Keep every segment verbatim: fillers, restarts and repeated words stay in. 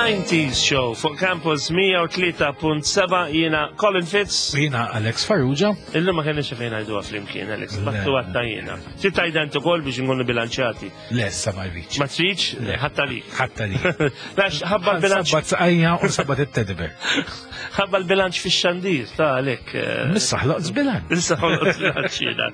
nineties Show fuq Campus mija u tlieta punt seba'. Jiena Colin Fitz. U jiena Alex Farrugia. Illum ma kenniex fejn ngħiduha flimkien, Alex. Le. Battu għatta jiena. Trid tgħidha int ukoll biex nkunu bilanċjati. Le, issa ma rridx. Ma tridx? Le. Ħatta lik. Ħatta lik. Għax ħabba l-bilanċ. Sabbat saqajja u sabbat it-teddy bear. Ħabba l-bilanċ fix-xandir, ta' għalhekk, eh, Missa ħloqt żbilanċ. Issa ħloqt żbilanċ jiena.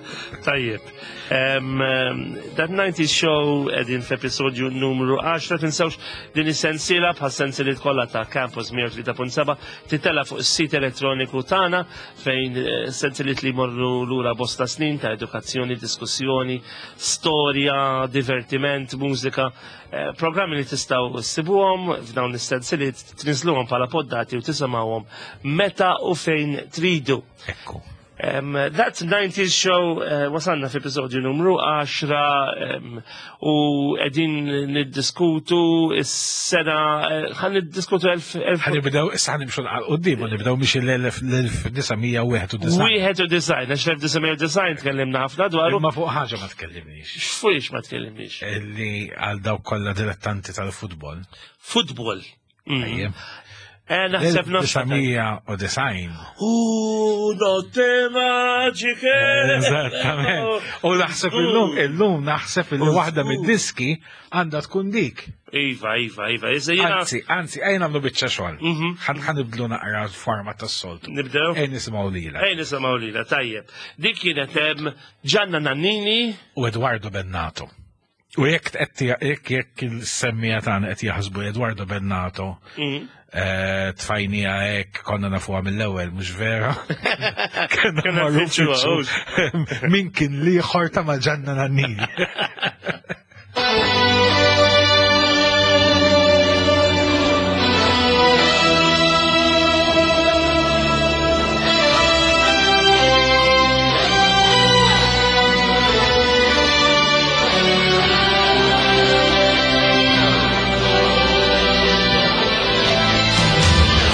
Tajjeb. Em, em, That nineties Show qegħdin f'episodju numru għaxra. Tinsewx din is-sensiela bħal sensiliet kollha ta' Campus mija u tlieta punt seba' titella fuq is-sit elettroniku tagħna fejn, eh, sensiliet li jmorru lura bosta snin ta' edukazzjoni, diskussjoni, storja, divertiment, mużika, eh, programmi li tistgħu ssibuhom f'dawn is-sensiliet, tniżluhom bħala poddati u tisimgħuhom meta u fejn tridu. Ekku. Um, That nineties Show, uh, wasalna f'episodju numru għaxra, um, u qegħdin niddiskutu is-sena, eh, ħan niddiskutu elf, elf Ħan nibdew, issa ħan nimxu għal qudiem u nibdew mhix l-elf, l-elf disa' mija u wieħed u disgħin. Wieħed u disgħin, għax l-elf disa' mija u disgħin tkellimna ħafna dwaru. Imma fuq ħaġa ma tkellimniex. X'fuqx ma tkellimniex? Illi għal dawk kollha dilettanti tal-futbol. Futbol. Mm. Ejjem. Eh, naħseb nafx. Disa' mija u disgħin. U notte magiche. Eżattament. U naħseb illum, illum naħseb illi waħda mid-diski għandha tkun dik. Iva, iva, iva. Iżda jiena Anzi, anzi, ejja nagħmlu biċċa xogħol. Mhm. Ħan ħan nibdlu naqra l-forma tas-soltu. Nibdew? Ejja nisimgħu lilha. Ejja nisimgħu lilha, tajjeb. Dik kienet hemm Gianna Nannini u Edoardo Bennato. U jekk qed jekk jekk il-semmija tagħna qed jaħsbu Edoardo Bennato, Mhm. eh, tfajnija hekk konna nafuha mill-ewwel, mhux vera? Konna Konna marru nfittxuha, nfittxu. Min kien l-ieħor ta' ma' Gianna Nannini.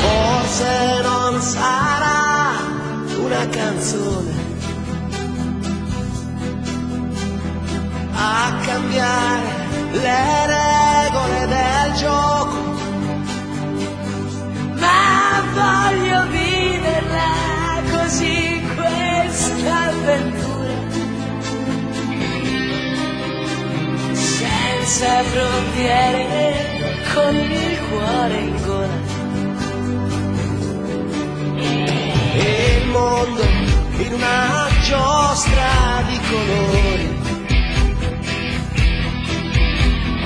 Forse non sarà una canzone a cambiare le regole del gioco, ma voglio viverla così questa avventura, senza frontiere, con il cuore in gola. E il mondo in una giostra di colori,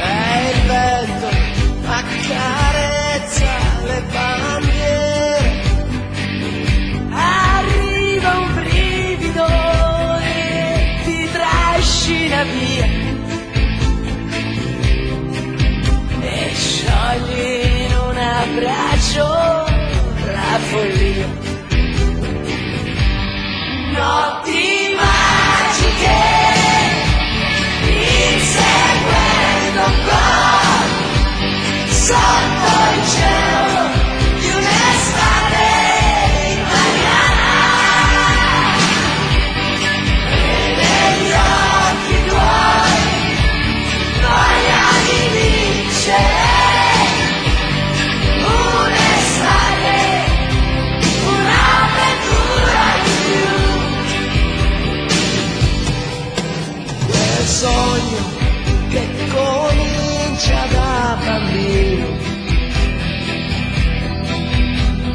e il vento accarezza le bandiere. Arriva un brivido e ti trascina via e sciogli in un abbraccio la follia. Notti magiche, inseguendo un gol, sotto il cielo di un'estate italiana, e negli occhi tuoi voglia di vincere, un'estate, un'avventura in più. Quel sogno che comincia da bambino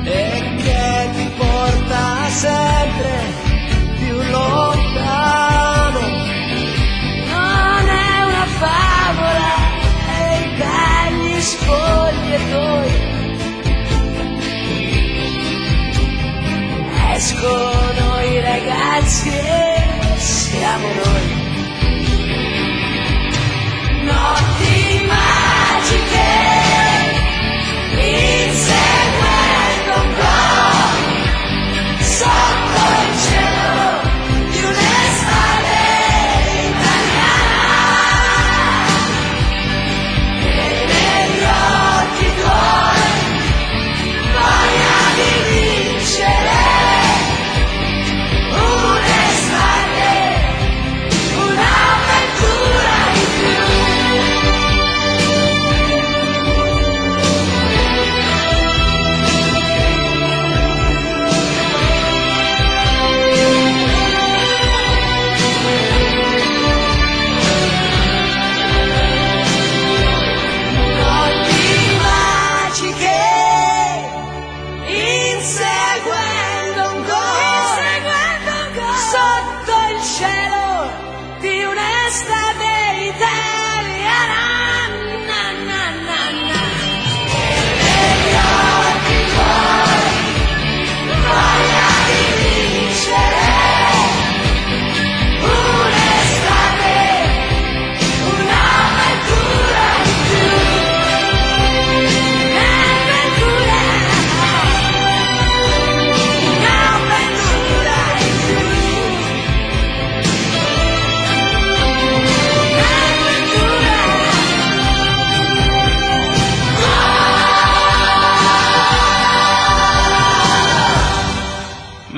e che ti porta sempre più lontano. Non è una favola e dagli spogliatoi escono i ragazzi e siamo noi. Notti magiche, inseguendo un gol, sotto il cielo di un'estate italiana, e negli occhi tuoi voglia di vincere, un'estate,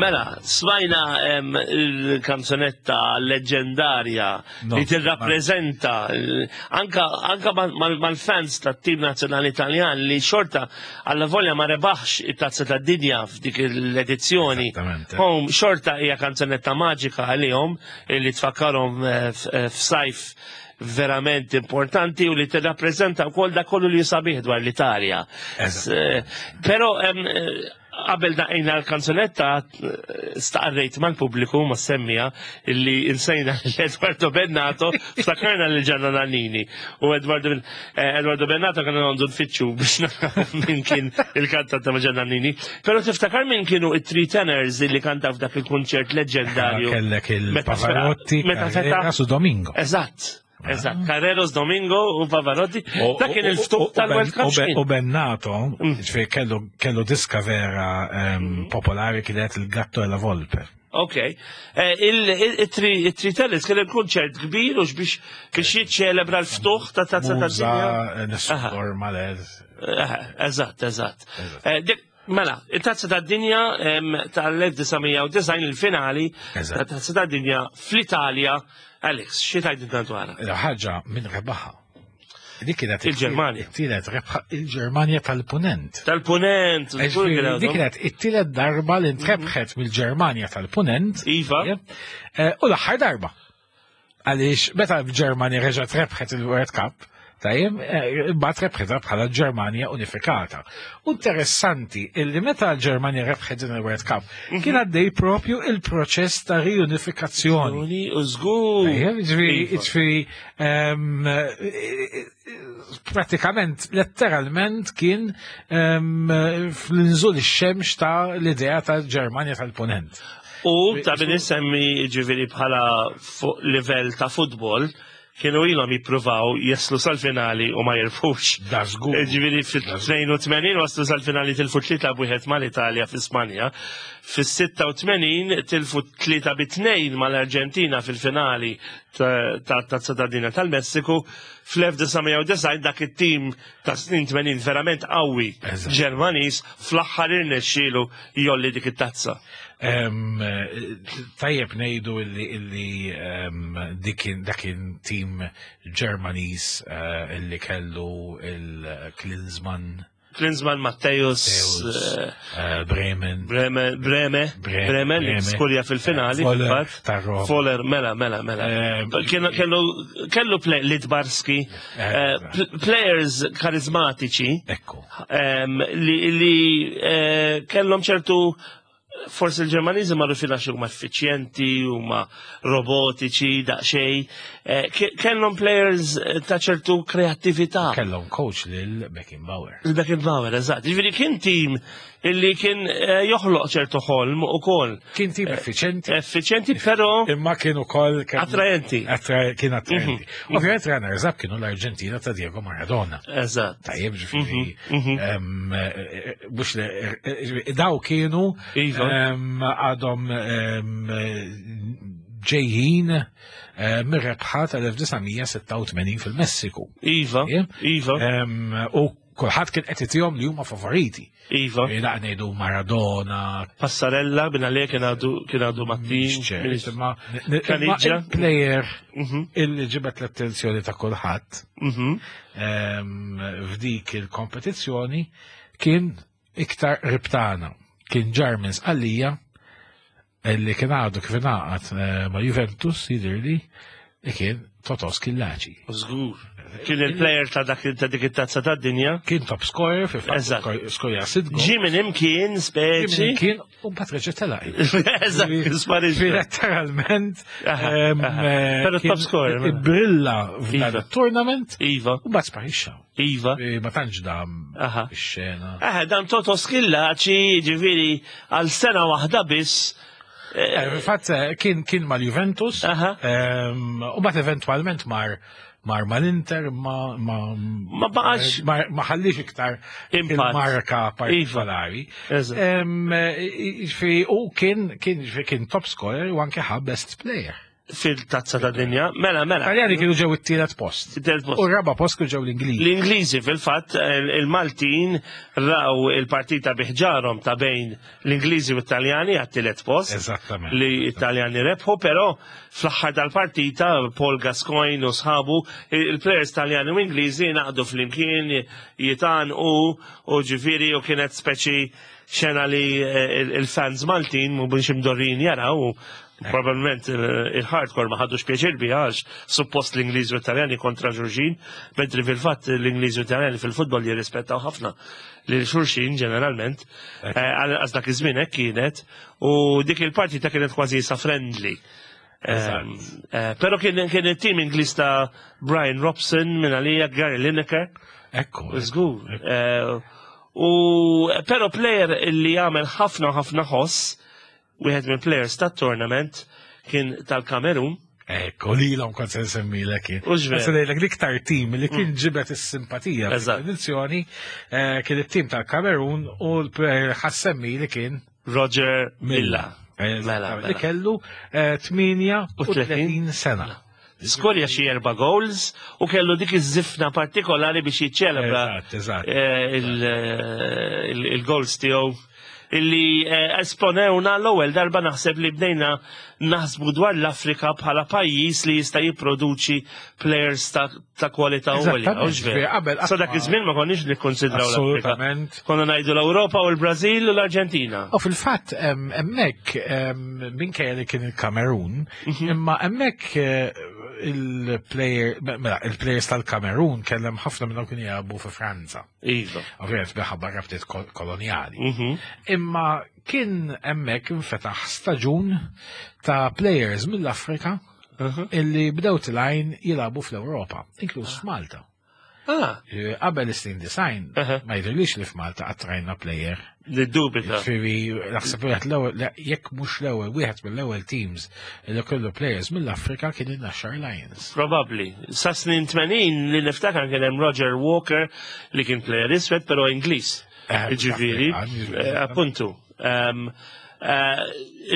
Mela, smajna em, il-kanzonetta leġendarja No, li tirrappreżenta eh, anka, anka mal- mal- mal-fans tat-tim nazzjonali Italjan li xorta alla volja ma rebaħx it-tazza tad-dinja f'dik l-edizzjoni. Esattamente. Home xorta hija kanzonetta maġika għalihom li tfakkarhom eh, f- eh, f'sajf verament importanti u li tirrappreżenta wkoll dak kollu li sabiħ dwar l-Italja. Eżatt. Eh, Però em, eh, qabel daqqejna l-kanzunetta eh, staqarrejt mal-pubbliku ma semmija illi insejna l-Eduardo Bennato, ftakarna lil Gianna Nannini. U Eduardo, eh, Eduardo Bennato kien għandu nfittxu biex naraw min kien il-kantant ta' Gianna Nannini. Però tiftakar min kienu it-three tenors illi kantaw f'dak il-kunċert leġendarju. Kellek Meta il-Pavarotti, meta fetaħ- Carreras u Domingo. Eżatt. Eżatt, Carreras, Domingo u Pavarotti. Dak kien il-ftuħ tal-World Cup. U Ben- x'kien? U Bennato, ġifieri kellu kellu diska vera em, popolari kienet il-Gatto e la Volpe. Ok. Eh, Il-Three Tenors kien il-kunċert kbir u biex biex jiċċelebra l-ftuħ ta' tazza ta' Muża, dinja. Nessun Dorma, Eh, Eżatt, eżatt. Eh, dik- Mela, il-tazza ta' dinja tal-elf disa' mija u disgħin, il-finali Eżatt. ta' tazza ta' dinja fl-Italja. Alex, xi tgħidilna dwarha? Ħaġa minn rebaħa. Dik kienet Il-Ġermanja. It-tielet rebħa il-Ġermanja tal-Punent. Tal-Punent, żgur kien Ġifieri, għadhom. Dik kienet it-tielet darba li ntrebħet mill-Ġermanja tal-Punent. Iva. Eh, U l-aħħar darba. Għaliex meta l-Ġermanja reġgħet rebħet il-World Cup, tajjeb, eh, imbagħad rebħetha bħala Ġermanja unifikata. U interessanti illi meta l-Ġermanja rebħet din il-World Cup, kien għaddej propju il-proċess ta' riunifikazzjoni. Uni, u żgur. Tajjeb, ġifieri, Iva. ġifieri, ehm, eh, pratikament, letteralment kien ehm, fl-inżul ix-xemx ta' l-idea ta' Ġermanja tal-Ponent. U ta' min isemmi ġifieri bħala fuq livell ta' futbol, kienu ilhom jippruvaw jaslu sal-finali u ma jirbħux. Da żgur. Ġifieri fil-tnejn u tmenin waslu sal-finali, tilfu tlieta b'wieħed mal-Italja fi Spanja. Fis-sitta u tmenin tilfu tlieta bi tnejn mal-Arġentina fil-finali ta' Tazza tad-Dinja tal-Messiku. Fl-elf disa' mija u disgħin dak it-tim ta' snin tmenin verament qawwi Eżatt. Ġermaniż fl-aħħar irnexxielu jgħolli dik it-tazza. Em, eh, Tajjeb ngħidu illi illi em, dikin dakin tim Ġermaniż eh, illi kellu il-Klinsmann, Klinsmann, Matthäus, Matthäus, eh, eh, Bremen, Breme, Breme, Breme, Bremen, Breme. skurja fil-finali. Voller fil-fatt. ta' Roma. Voller, mela, mela, mela. Eh, Kienu- Kellu kellu play, Lidbarski, eh, pl- players karizmatiċi Ekku. em, li, li eh, kellhom ċertu, forsi l-Ġermaniżi magħrufin għax huma effiċjenti, huma robotiċi, daqsxejn. Eh, ke- Kellhom players eh, ta' ċertu kreattività. Kellhom coach lil Beckenbauer. Il-Beckenbauer, eżatt. Ġifieri kien tim illi kien eh, joħloq ċertu ħolm ukoll. Kien tim effiċenti, Effiċjenti, però imma kien ukoll kien- attraenti. attra- kien attraenti. Ovvjament runners up kienu l-Arġentina ta' Diego Maradona. Eżatt. Tajjeb, ġifieri, Mhm, em, eh, mhux le- eh, ġifieri, daw kienu Iva. em, għadhom em, ġejjin eh, mir-rebħa tal-elf disa' mija sitta u tmenin fil-Messiku. Iva, Tajjeb? Iva, Em, U kulħadd kien qed itihom li huma favoriti. Iva. Laq ngħidu Maradona, Passarella, bin għalija kien għadu kien għadu Mattin. Mhix imma imma Caniggia. il-player Mhm, illi ġibet l-attenzjoni ta' kulħadd mhm. em, f'dik il-kompetizzjoni kien iktar ribtana. Kien ġar minn Sqallija illi kien għadu kif ingħaqad eh, ma' Juventus jidhirli li kien Totò Schillaci. Żgur. Kien il-player ta' dak ta' dik it-tazza tad-dinja. Kien top scorer fi Eżatt. fatt skorja sitt goal. Ġie minn imkien speċi. Kien u mbagħad reġa' telaq. Eżatt, sparixxa. Letteralment Aha, em, aha. eh, Però kien top scorer, mela. Brilla f'dan Iva. il-tournament Iva, u mbagħad sparixxa. Iva. Eh, Ma tantx dam Aha. ix-xena. Eh, dan Toto Schillaci, ġifieri, għal sena waħda biss. Eh, Fil-fatt eh, kien kien mal-Juventus Aha. em, u mbagħad eventwalment mar mar mal-Inter ma ma Ma baqax- ma ma ħallix iktar Impatt. il-marka partikolari. Eżatt. Em, eh, Ġifieri u kien kien ġifieri kien top scorer u anke ħa best player. Fil-Tazza ta' Dinja. Mela, mela. Taljani kienu ġew it-tielet post. It-tielet post. U r-raba post kienu ġew l-Ingliżi. L-Ingliżi fil-fatt, il-Maltin raw il-partita bi ħġarhom ta' bejn l-Ingliżi u t-Taljani għat-tielet post. Eżattament. Li Italjani rebħu, però fl-aħħar tal-partita Paul Gascoigne u sħabu, il-players Taljani u Ingliżi ngħaqdu flimkien jitan u u ġifieri u kienet speċi xena li eh, il-fans Maltin mhumiex imdorrin jaraw u probabilment il-hardcore ma ħadux pjaċir biha għax suppost l-Ingliżi u Italjani kontra xulxin, mentri fil-fatt l-Ingliżi u Italjani fil-futbol jirrispettaw ħafna lil xulxin ġeneralment, għax dak iż-żmien hekk kienet, u dik il-partita kienet kważi sa friendly. Però kien kien it-tim Ingliż ta' Brian Robson minn għalija, Gary Lineker. Ekku. Żgur. U però player li jagħmel ħafna ħafna ħoss, wieħed minn players tat-tournament kien tal-Kamerun. Ekku, li l kont se nsemmilek kien. U ġver. Se ngħidlek l-iktar tim li kien ġibet is-simpatija Eżatt. fil-edizzjoni eh, kien it-tim tal-Kamerun u l-player ħa nsemmi li kien Roger Milla. Eh, Mela, li mela. kellu eh, tmienja u tletin sena. Skorja xi erba' goals u kellu dik iż-żifna partikolari biex jiċċelebra Eżatt, eżatt. eh, il- il- il-goals tiegħu illi eh, esponewna l-ewwel darba naħseb li bdejna naħsbu dwar l-Afrika bħala pajjiż li jista' jipproduċi players ta', ta' kwalità għolja. Eżattament, hux veru? qabel Sa dak iż-żmien ma konniex nikkonsidraw l-Afrika. Assolutament. Konna ngħidu l-Ewropa u l-Brażil u l-Arġentina. U fil-fatt, em, hemmhekk, em, minkejja li kien il-Kamerun, Mhm. imma hemmhekk eh, il-player, mela, il-players tal-Kamerun kellem ħafna minnhom kienu jilagħbu fi Franza. Iva. Ovvijament minħabba rabtiet kol- koloniali. Mhm. Imma kien hemmhekk infetaħ staġun ta' players mill-Afrika Mhm. illi bdew telgħin jilagħbu fl-Ewropa, inkluż f'Malta. Ah, Eh, Qabel is-snin disgħin, Aha. ma jidhirlix li f'Malta qatt rajna player. Niddubita. Ġifieri, naħseb wieħed l-ewwel, le, jekk mhux l-ewwel, wieħed mill-ewwel teams li kellu players mill-Afrika kien in-Naxxar Lions. Probably. Sa snin tmenin li niftakar kien hemm Roger Walker li kien player iswed però Ingliż. Eh, Ġifieri, Afrikan, ġifieri. eh, appuntu. Um, eh,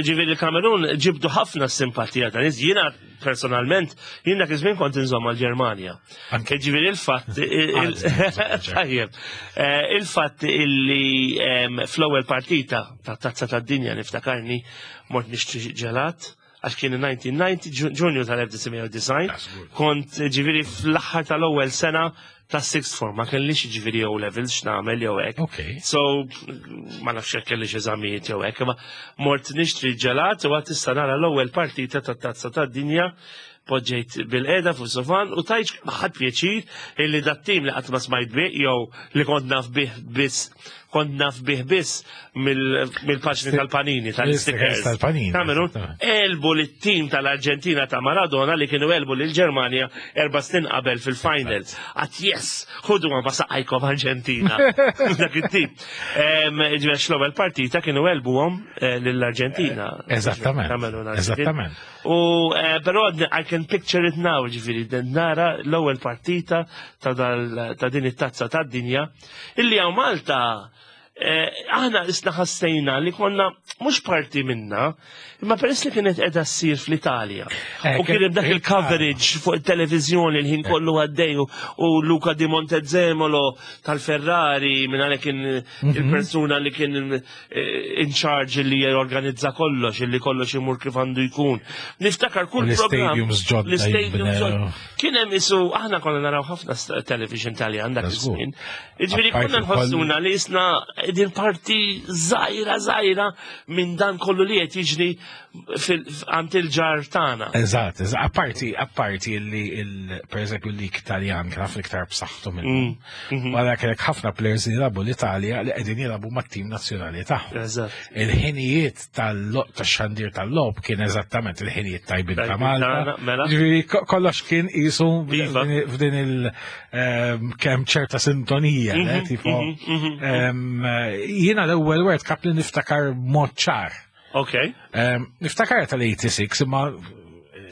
Ġifieri il-Kamerun ġibdu ħafna simpatija ta' nies. Jiena personalment, jien dak iż-żmien kont inżomm għall-Ġermanja. Anke. Ġifieri il-fatt il- il- Għadni nżomm għall-Ġermanja. Tajjeb. Eh, Il-fatt illi em, fl-ewwel partita ta' Tazza tad-Dinja niftakarni mort nixtri ġelat għax kien elf disa' mija u disgħin, Ġu- Ġunju tal-elf disa' mija u disgħin, Ja, żgur. kont ġifieri fl-aħħar tal-ewwel sena ta' sixth form, ma kellix ġifieri O levels x'nagħmel jew hekk. Ok. So, ma nafx jekk kellix eżamijiet jew hekk, imma mort nixtri ġelat u għad issa nara l-ewwel partita tat-Tazza tad-Dinja, poġġejt bilqiegħda fuq sofan u tajt ħadd pjaċir illi dat tim li qatt ma smajt bih jew li kont naf bih biss kont naf bih biss mill- mill-paġni tal-Panini, tal-stickers. Tal-Panini, Kamerun, eżattament. għelbu lit-tim tal-Arġentina ta' Maradona li kienu għelbu l-Ġermanja erba' snin qabel fil-final. Għedt yes, ħudu ma saqajkom Arġentina. Dak it-tim. Ġifieri l-ewwel partita kienu għelbuhom eh, lill-Arġentina. Eżattament, Kamerun, Arġentina. eżattament. U eh, però I can picture it now, ġifieri, nara l-ewwel partita ta' dal- ta' din it-tazza tad-dinja illi hawn Malta eh, aħna isna ħassejna li konna mhux parti minna, imma peress li kienet qiegħda ssir fl-Italja. Eh, U kien hemm dak kien- il-coverage fuq il-televiżjoni l-ħin kollu għaddej u- u Luca di Montezemolo tal-Ferrari minn għalek kien il-persuna li kien eh, in charge li jorganizza kollox, illi kollox imur kif għandu jkun. Niftakar kull U program. l-stadiums ġodda L-stadiums jinbnew. ġodda. Kien hemm isu aħna konna naraw ħafna st- television Taljan dak Żgur. iż-żmien. Jiġifieri Apparti konna nħossuna li isna din parti żgħira żgħira minn dan kollu li qed jiġri fil- għand il-ġar tagħna. Eżatt, eżatt. Apparti, apparti li, il, per eżempju, l-lig Taljan kien ħafna iktar b'saħħtu minn. Mm, Wara kellek ħafna players li jilagħbu l-Italja li qegħdin jilagħbu mat-tim nazzjonali tagħhom. Eżatt. Il-ħinijiet tal-xandir tal-logħob kien eżattament il-ħinijiet tajbin ta' Tajbin Malta. tagħna, mela. Ġifieri ko- kollox kien qisu Iva. f'din il ehm, kemm ċerta sintonija, le, Mhm, tipo. mhm, mhm. ehm, Jiena l-ewwel World Cup li niftakar mod ċar. Ok, Ehm, Niftakar tal-tmienja u disgħin imma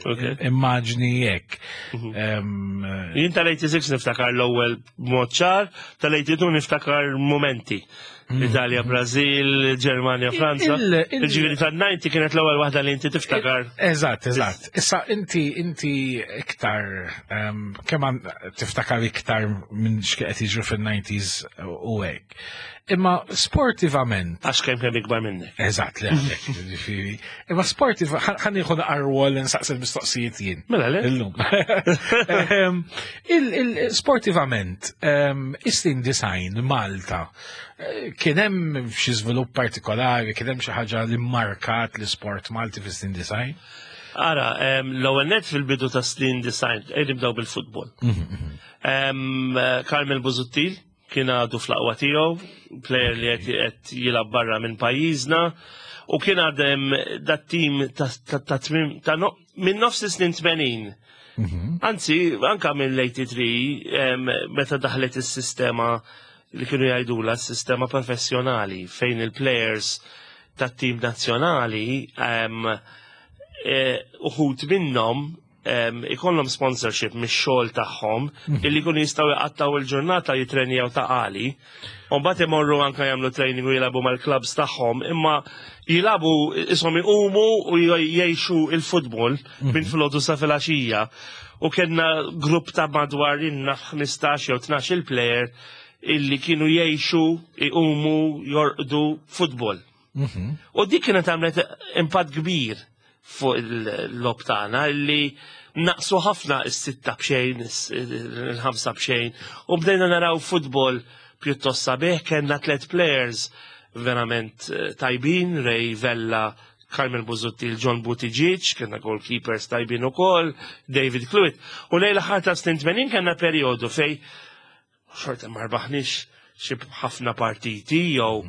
ok. immaġni jekk. Ehm, Jien tal-tmienja u disgħin niftakar l-ewwel mod ċar, tal-tmienja u tnejn niftakar momenti. Italja, Brazil, Ġermanja, Franza. Il- il- Ġifieri tan-disgħin kienet l-ewwel waħda li inti tiftakar. Eżatt, eżatt. Issa inti inti iktar um, kemm għan- tiftakar iktar minn x'qed jiġru fin-nineties u hekk. Imma sportivament, Għax kemm kemm ikbar minnek. Eżatt, le, għalhekk, ġifieri. Imma sportiv, ħa nieħu rwol nsaqsi l-mistoqsijiet jien. Mela le? Illum. Em, il- il- Sportivament, em, is-snin disgħin Malta, eh, kien hemm xi żvilupp partikolari, kien hemm xi ħaġa li markat l-isport Malti fis-snin disgħin? Ara, em, l-ewwel net fil-bidu ta' snin disgħin, ejja nibdew bil-futbol. Em, eh, Carmel Busuttil kien għadu fl-aqwa tiegħu, player li qed qed jilgħab barra minn pajjiżna, u kien għadem dat tim ta' ta' ta' tmim- ta' no- minn nofs is-snin tmenin. Anzi, anka mill-tmienja u tmenin, em, meta daħlet is-sistema li kienu jgħidula s-sistema professjonali fejn il-players tat-tim nazzjonali em, eh, uħud minnhom em, ikollhom sponsorship mix-xogħol tagħhom illi jkunu jistgħu jqattaw il-ġurnata jitrenjaw Ta' Qali. U mbagħad imorru anke jagħmlu training u jilagħbu mal-clubs tagħhom, imma jilagħbu ishom iqumu u jgħixu il-futbol minn filgħodu sa filgħaxija. U kellna grupp ta' madwar inna ħmistax jew tnax il-player illi kienu jgħixu, iqumu, jorqdu futbol. U dik kienet għamlet impatt kbir fuq il-logħob tagħna illi naqsu ħafna is-sitta b'xejn, il-ħamsa b'xejn, u bdejna naraw futbol pjuttost sabiħ, kellna tlet players verament eh, tajbin, Ray Vella, Carmel Busuttil, John Buttigieg, kellna goalkeepers tajbin ukoll, David Cluett. U lejn l-aħħar ta' snin tmenin kellna periodu fej xorta ma rbaħniex xi ħafna partiti jew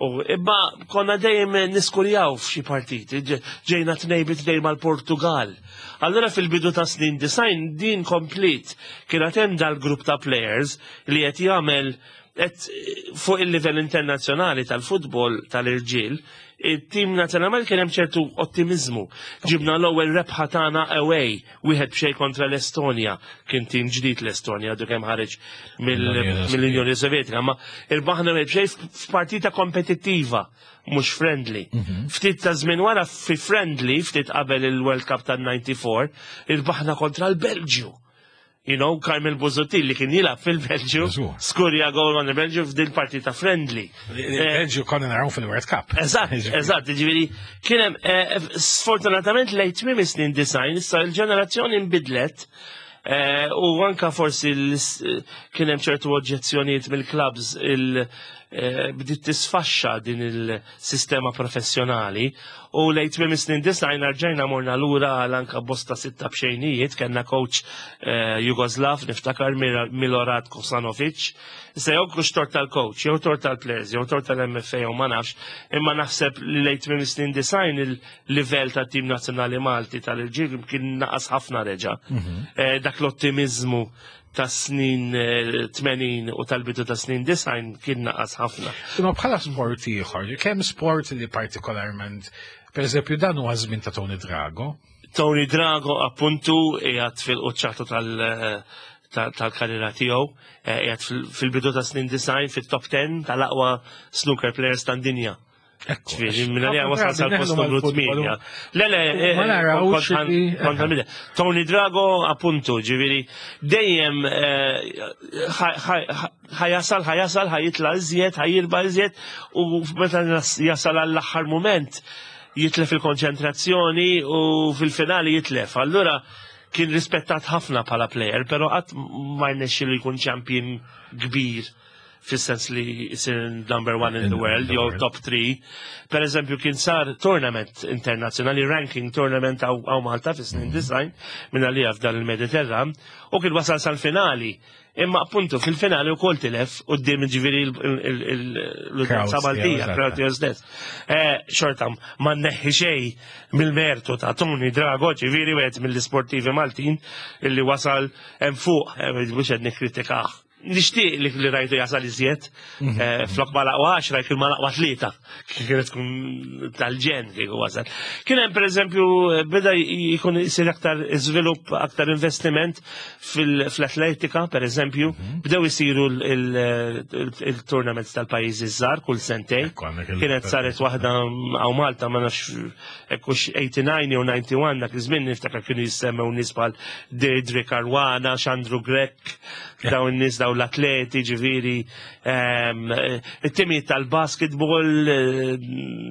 u imma konna dejjem niskurjaw f'xi partiti, ġe- ġejna tnejn bi tnejn mal-Portugal. Allura fil-bidu ta' snin disgħin din komplet kien hemm dal-grupp ta' players li qed jagħmel qed fuq il-livell internazzjonali tal-futbol tal-irġiel, it-tim nazzjonali kien hemm ċertu ottimizmu. Ġibna l-ewwel rebħa tagħna away, wieħed b'xejn kontra l-Estonja, kien tim ġdid l-Estonja, għadu kemm ħareġ mill- mill-Unjoni Sovjetika, ma irbaħna wieħed b'xejn f'partita kompetittiva, mhux friendly. Ftit ta' żmien wara fi friendly, ftit qabel il-World Cup tan-disgħa u disgħin, irbaħna kontra l-Belġju. You know, Carmel Busuttil li kien jilgħab fil-Belġju, Żgur. skurja gol ma' il-Belġju f'din partita friendly. Il-Belġju konna naraw fil-World Cup. Eżatt, eżatt, ġifieri, kien hemm, eh, sfortunatament lejn tmiem is-snin disgħin, issa il-ġenerazzjoni nbidlet, eh, u anka forsi l- kien hemm ċertu oġġezzjonijiet mill-clubs il eh, bdiet tisfaxxa din il-sistema professjonali u lejn tmiem is-snin disgħin rġajna morna lura għal anka bosta sitta b'xejnijiet, kellna coach eh, Jugoslav, niftakar Mira- Milorad Kosanovic. Issa jew kux tort tal-coach, jew tort tal-players, jew tort tal-M F A jew ma nafx, imma naħseb li lejn tmiem is-snin disgħin il-livell tat-tim nazzjonali Malti tal-irġiel kien naqas ħafna reġa. Eh, Dak l-ottimizmu ta' snin eh, tmenin u tal-bidu ta' snin disgħin kien naqas ħafna. Imma bħala sport ieħor, kemm sport li partikolarment, per eżempju, dan huwa żmien ta' Tony Drago. Tony Drago appuntu qiegħed fil-quċċata tal- ta- tal-karriera tiegħu, eh, qiegħed fil- fil-bidu ta' snin disgħin fit-top ten tal-aqwa snooker players tad-dinja. Ekku, Ġifieri, minn għalija wasal sal-post numru tmienja. Le, le, eh, Ma narawx kont- li- kont għal- Tony Drago, appuntu, ġifieri, dejjem eh, ħa- ħa- ħa jasal, ħa jasal, ħa jitla iżjed, ħa jirbaħ iżjed, u meta jasal għall-aħħar moment jitlef il-konċentrazzjoni u fil-finali jitlef. Allura kien rispettat ħafna bħala player, pero qatt ma rnexxielu jkun champion kbir fis-sens li jsir number one in the world, jew top three. Per eżempju, kien sar tournament internazzjonali, ranking tournament hawn Malta fis-snin disgħin, minn għalija f'dan il-Mediterran, u kien wasal sal-finali. Imma appuntu fil-finali ukoll tilef quddiem ġifieri l-udjenza Crowds, Maltija, yeah, crowd tiegħu stess. Eh, Xorta ma neħħi xejn mill-mertu ta' Tony Drago, ġifieri wieħed mill-sportivi Maltin illi wasal hemm fuq, eh, mhux qed nikkritikah. Nixtieq li li rajtu jasal iżjed, eh, flok ma l-aqwa għaxra, kien ma l-aqwa tlieta, kienet tkun tal-ġenn kieku wasal. Kien hemm pereżempju beda jkun isir aktar iżvilupp, aktar investiment fil-atletika, pereżempju, bdew isiru il-tournaments tal-pajjiżi żgħar kull sentejn. Ekku, għandek il- Kienet saret waħda hawn Malta, ma nafx ekkux tmena u disgħin jew disgħa u wieħed, dak iż-żmien niftakar kienu jissemmew nies bħal Deirdre Caruana, Xandru Grech, dawn nies, dawn l-atleti, ġifieri, ehm, it-timijiet tal-basketball eh,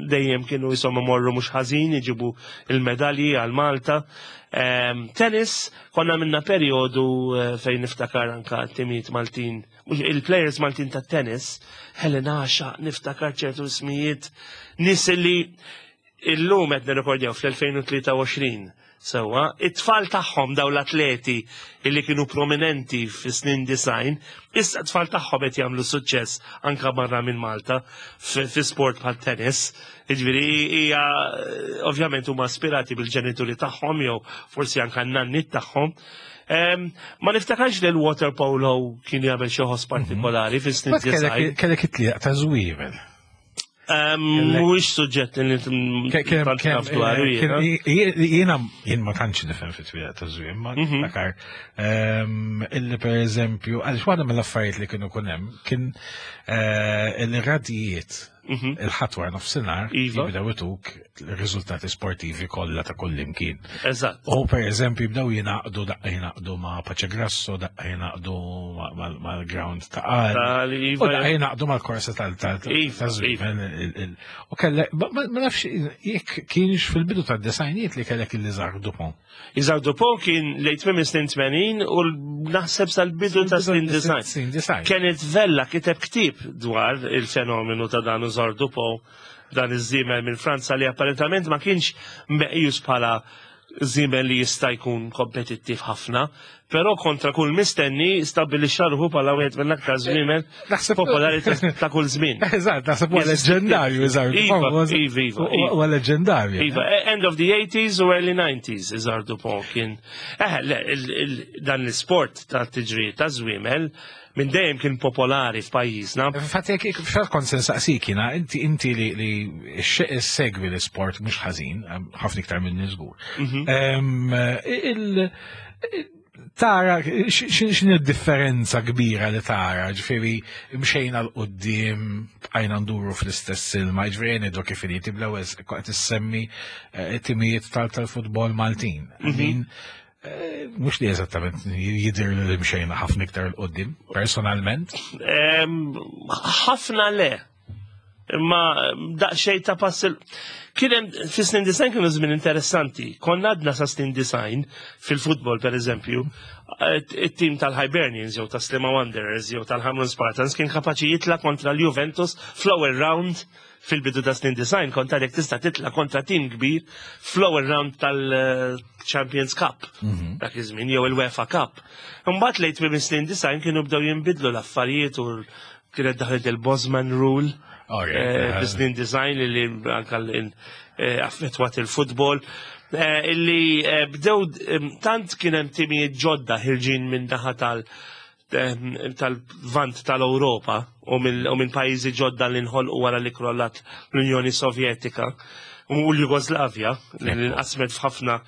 dejjem kienu jisom morru mhux ħażin, iġibu il-medalji għal Malta. Ehm, tennis, konna minna periodu eh, fejn niftakar anka timijiet Maltin, mhux il-players Maltin ta' tennis, Helena Asha, niftakar ċertu ismijiet, nies li illum qed nirrekordjaw fl-elfejn u tlieta u għoxrin. Sewwa, it-tfal tagħhom, daw l-atleti illi kienu prominenti fi snin disgħin, issa t-tfal tagħhom qed jagħmlu suċċess anka barra minn Malta fi fi sport bħal tennis. Jiġifieri hija ovvjament huma aspirati bil-ġenituri tagħhom jew forsi anka n-nannit tagħhom. Em, Ma niftakarx li l-water polo kien jagħmel xi ħoss partikolari fi snin But kellek disgħin. kellek it-tlielaq ta' żwiemel. Em, Mhuwiex suġġett li tant naf dwaru jiena. Jiena jien ma tantx nifhem fit-tlielaq ta' żwiemel, ma Mhm. niftakar ehm, illi per eżempju, għaliex waħda mill-affarijiet li kienu kun hemm kien eh, il-radijiet Mhm. il-Ħadd wara nofsinhar Iva. jibdew ituk il-riżultati sportivi kollha ta' kull imkien. Eżatt. U per eżempju jibdew jingħaqdu, daqqa jingħaqdu ma' Pace Grasso, daqqa jingħaqdu mal-ground ta' Qali. Tal- U Iva, daqqa jingħaqdu mal-korsa tal tal Iva, ta' żwiemel, il- il- U kellek, ma ma- ma nafx jekk kienx fil-bidu tad-disgħinijiet li kellek il-Isaac Dupont. Isaac Dupont kien lejn tmiem snin tmenin u naħseb sal-bidu ta' snin disgħin. Snin disgħin. Kenneth Vella kiteb ktib dwar il-fenomenu ta' dan Isaac Dupont, dan iż-żiemel minn Franza li apparentament ma kienx meqjus bħala żiemel li jista' jkun kompetittiv ħafna, però kontra kull mistenni stabbilixxa ruħu bħala wieħed mill-aktar żwiemel Naħseb- popolari ta' ta' kull żmien. Eżatt, naħseb huwa leġendarju Isaac Iva, Dupont. Iva, Iva, Iva. Huwa leġendarju. Iva, eh, end of the eighties u early nineties, Isaac Dupont kien. Eh, le, il- il- dan l-sport ta' tiġri ta' żwiemel minn dejjem kien popolari f'pajjiżna. Infatti, jekk fat kont se nsaqsik jiena, inti inti li li segwi l-sport mhux ħażin, ħafna iktar minn żgur. Em, il- Tara, x'in id-differenza kbira li tara, ġifieri mxejna 'l quddiem, bqajna nduru fl-istess ilma, ġifieri ngħidu kif inhi, bl-ewwel qed issemmi eh, timijiet tal- tal-futbol Maltin. I mean, eh, mhux li eżattament jidher li mxejna ħafna iktar 'l quddiem, personalment. Em, ħafna le. Imma daqsxejn ta' pass il- Kien hemm fi snin disgħin, kienu żmien interessanti. Konna għadna sa snin disgħin fil-futbol, per eżempju, it-tim tal-Hibernians jew ta' Sliema Wanderers jew tal-Hamrun Spartans kien kapaċi jitla kontra l-Juventus fl-ewwel round. Fil-bidu ta' snin disgħin kont għadek tista' titla kontra tim kbir fl-ewwel round tal-Champions Cup dak iż-żmien jew il-UEFA Cup. Imbagħad lejn tmiem snin disgħin kienu bdew jinbidlu l-affarijiet u kienet daħlet il-Bosman Rule Alright, eh, eh. bis-snin disgħin li anka l- eh, affettwat il-futbol. eh, Illi eh, bdew em, tant kien hemm timijiet ġodda ħirġin minn naħa tal- em, tal-vant tal-Europa u mill- u minn pajjiżi ġodda li nħolqu wara li krollat l-Unjoni Sovjetika u l-Jugoslavja li nqasmet f'ħafna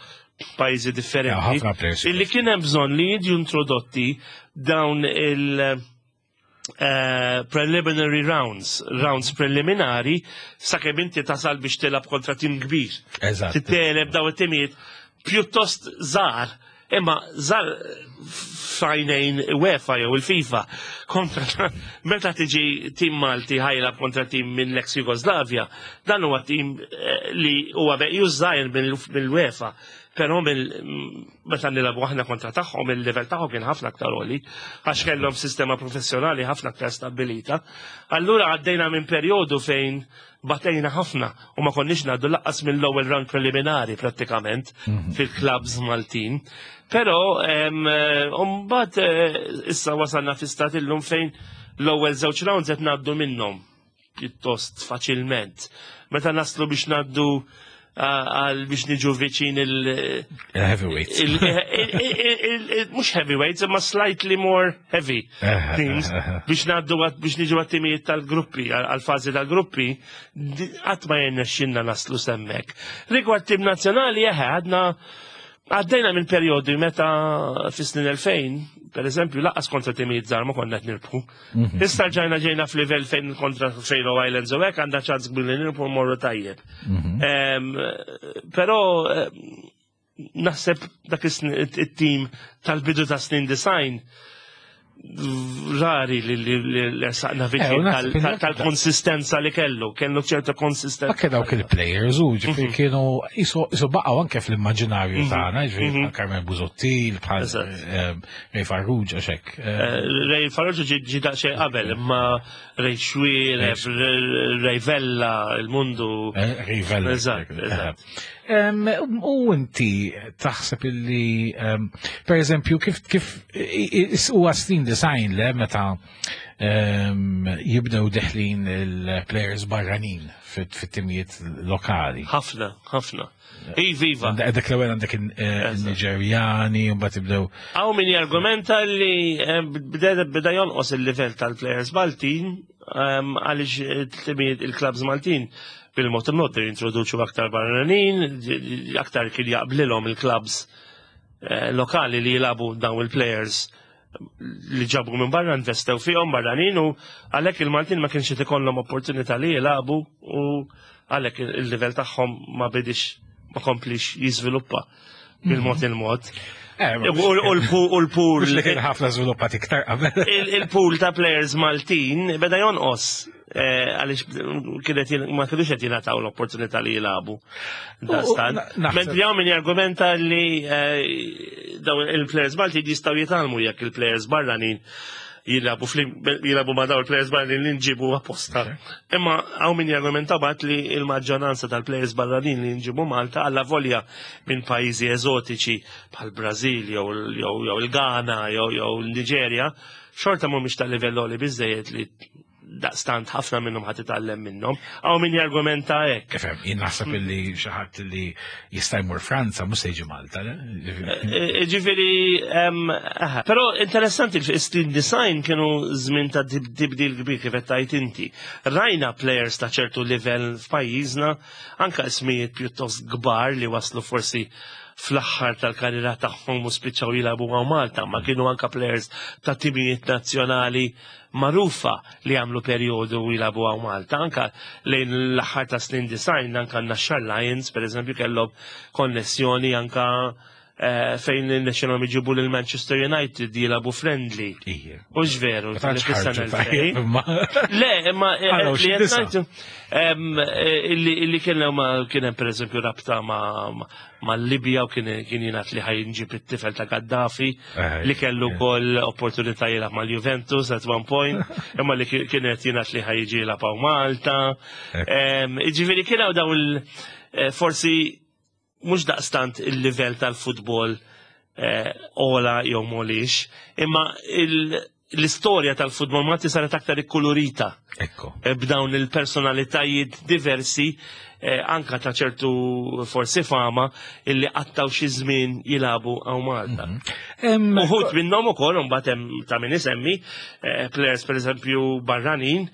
pajjiżi differenti. Ja, ħafna players. Illi kien hemm bżonn li jiġu introdotti dawn il- eh, preliminary rounds, rounds preliminari, sakemm inti tasal biex tilab kontra tim kbir. Eżatt. Titteleb daw it-timijiet pjuttost żgħar, imma żgħar f'għajnejn UEFA jew il-FIFA, kontra meta tiġi tim Malti ħa jilgħab kontra tim minn l-ex Jugoslavja, dan huwa tim eh, li huwa meqjus żgħir mill-UEFA. Però mill meta nilagħbu aħna kontra tagħhom, il-level tagħhom kien ħafna aktar għoli, għax kellhom sistema professjonali ħafna aktar stabbilita. Allura għaddejna minn perjodu fejn batejna ħafna u ma konniex ngħaddu lanqas mill-ewwel round preliminari prattikament fil-clubs Maltin. Però em, eh, mbagħad eh, issa wasalna fi stat illum fejn l-ewwel żewġ rounds qed ngħaddu minnhom pjuttost faċilment. Meta naslu biex ngħaddu Għal biex niġu viċin il- Heavyweights. Mhux heavyweights, imma slightly more heavy teams biex ngħaddu biex niġu għat-timijiet tal-gruppi, għal-fażi tal-gruppi, qatt ma jirnexxinna naslu s'hemmhekk. Rigward tim nazzjonali, eħe, għadna għaddejna minn periodi meta fis-snin elfejn, per eżempju, lanqas kontra timijiet żgħar ma konna qed nirbħu. Mhm. Issa ġajna ġejna f'livell fejn kontra Faroe Islands u hekk għandha ċans kbir li nirbħu, morru tajjeb. Mhm. Però naħseb dak it-tim tal-bidu ta' snin disgħin rari li li saqna Eh, viċin tal-konsistenza li kellu, kellu ċerta konsistenza. Anke dawk il-players u ġifieri Mhm. kienu jisu baqgħu anke fl-immaġinarju Mhm. tagħna, ġifieri Mhm. bħal Carmel Busuttil, bħal Eżatt. Ray Farrugia xek. Eh, Ray Farrugia ġi ġi daqsxejn qabel, imma Ray Xuereb, Ray Vella, il-Mundu. Ray Vella. Eżatt, eżatt. Em, U inti taħseb illi, em, per eżempju, kif kif huwa snin disgħin le meta em, jibdew deħlin il-players barranin fit-timijiet lokali? Ħafna, ħafna. Iva. Dak l-ewwel għandek il-Niġerjani, u mbagħad jibdew Hawn min jargumenta li eh, beda beda jonqos il-livell tal-players Maltin ehm, għaliex it-timijiet, il-klabs Maltin bil-mod il-mod jintroduċu aktar barranin, aktar kien jaqblilhom il-klabs eh, lokali li jilagħbu dawn il-players li ġabu minn barra, investew fihom barranin, u għalhekk il-Maltin ma kienx qed ikollhom opportunità li jilagħbu u għalhekk il-livell tagħhom ma bidix ma komplix jiżviluppa bil-mod il-mod. Eh, U u l-pool Mhux li kien ħafna żviluppat iktar qabel. il- il-pool ta' players Maltin beda jonqos eh, għaliex kienet jien- ma kienux qed jingħataw l-opportunità li jilagħbu. Dastan. na- naħseb- Mentri hawn min jargumenta li eh, dawn il-players Maltin jistgħu jitgħallmu jekk il-players barranin jilagħbu flim- jilagħbu ma' dawn il-players barranin li nġibu apposta. Imma hawn min jargumenta bat li il-maġġoranza tal-players barranin li nġibu Malta, alla volja minn pajjiżi eżotiċi bħal Brażil jew jew jew il-Ghana jew jew il-Niġerja, xorta mhumiex tal-livell li biżejjed li daqstant ħafna minnhom ħadd titgħallem minnhom. Hawn min jargumenta hekk. Kif hemm, jien naħseb illi xi ħadd li jista' jmur Franza mhux se jiġi Malta, le? Eh, Ġifieri, em, aha. Però interessanti, il-snin disgħin kienu żmien ta' tib- tibdil kbir, kif qed tgħid inti. Rajna players ta' ċertu livell f'pajjiżna, anka ismijiet pjuttost kbar li waslu forsi fl-aħħar tal-karriera tagħhom u spiċċaw jilagħbu ma' Malta, ma kienu anka players ta' timijiet nazzjonali magħrufa li għamlu perjodu jilagħbu hawn Malta. Anka lejn l-aħħar ta' snin disgħin, anka Naxxar Lions, per eżempju, kellhom konnessjoni anka eh, fejn il-National iġibu lil Manchester United jilagħbu friendly. Ija. U veru, Ma tantx li fis-sena ħarġu elfejn. tajjeb, imma. Le, imma eh, Għalaw li xi qed disa. ngħidu, em, eh, illi illi kien hemm kien hemm pereżempju rabta ma' ma' ma' Libja u kien kien jingħad li ħa jinġib it-tifel ta' Gaddafi Eh, li kellu eh. wkoll opportunità jilgħab mal-Juventus at one point, imma li kien qed jingħad li ħa jiġi jilgħab hawn Malta. Em, Ġifieri kien hawn dawn il- eh, forsi mhux daqstant il-livell tal-futbol eh, ola jew molix, imma il- l-istorja tal-futbol Malti saret aktar ikkulurita Ekku. eh, b'dawn il-personalitajiet diversi, eh, anka ta' ċertu forsi fama illi qattaw xi żmien jilagħbu hawn Malta. Em, Uħud minnhom ukoll imbagħad hemm ta' min isemmi eh, players pereżempju barranin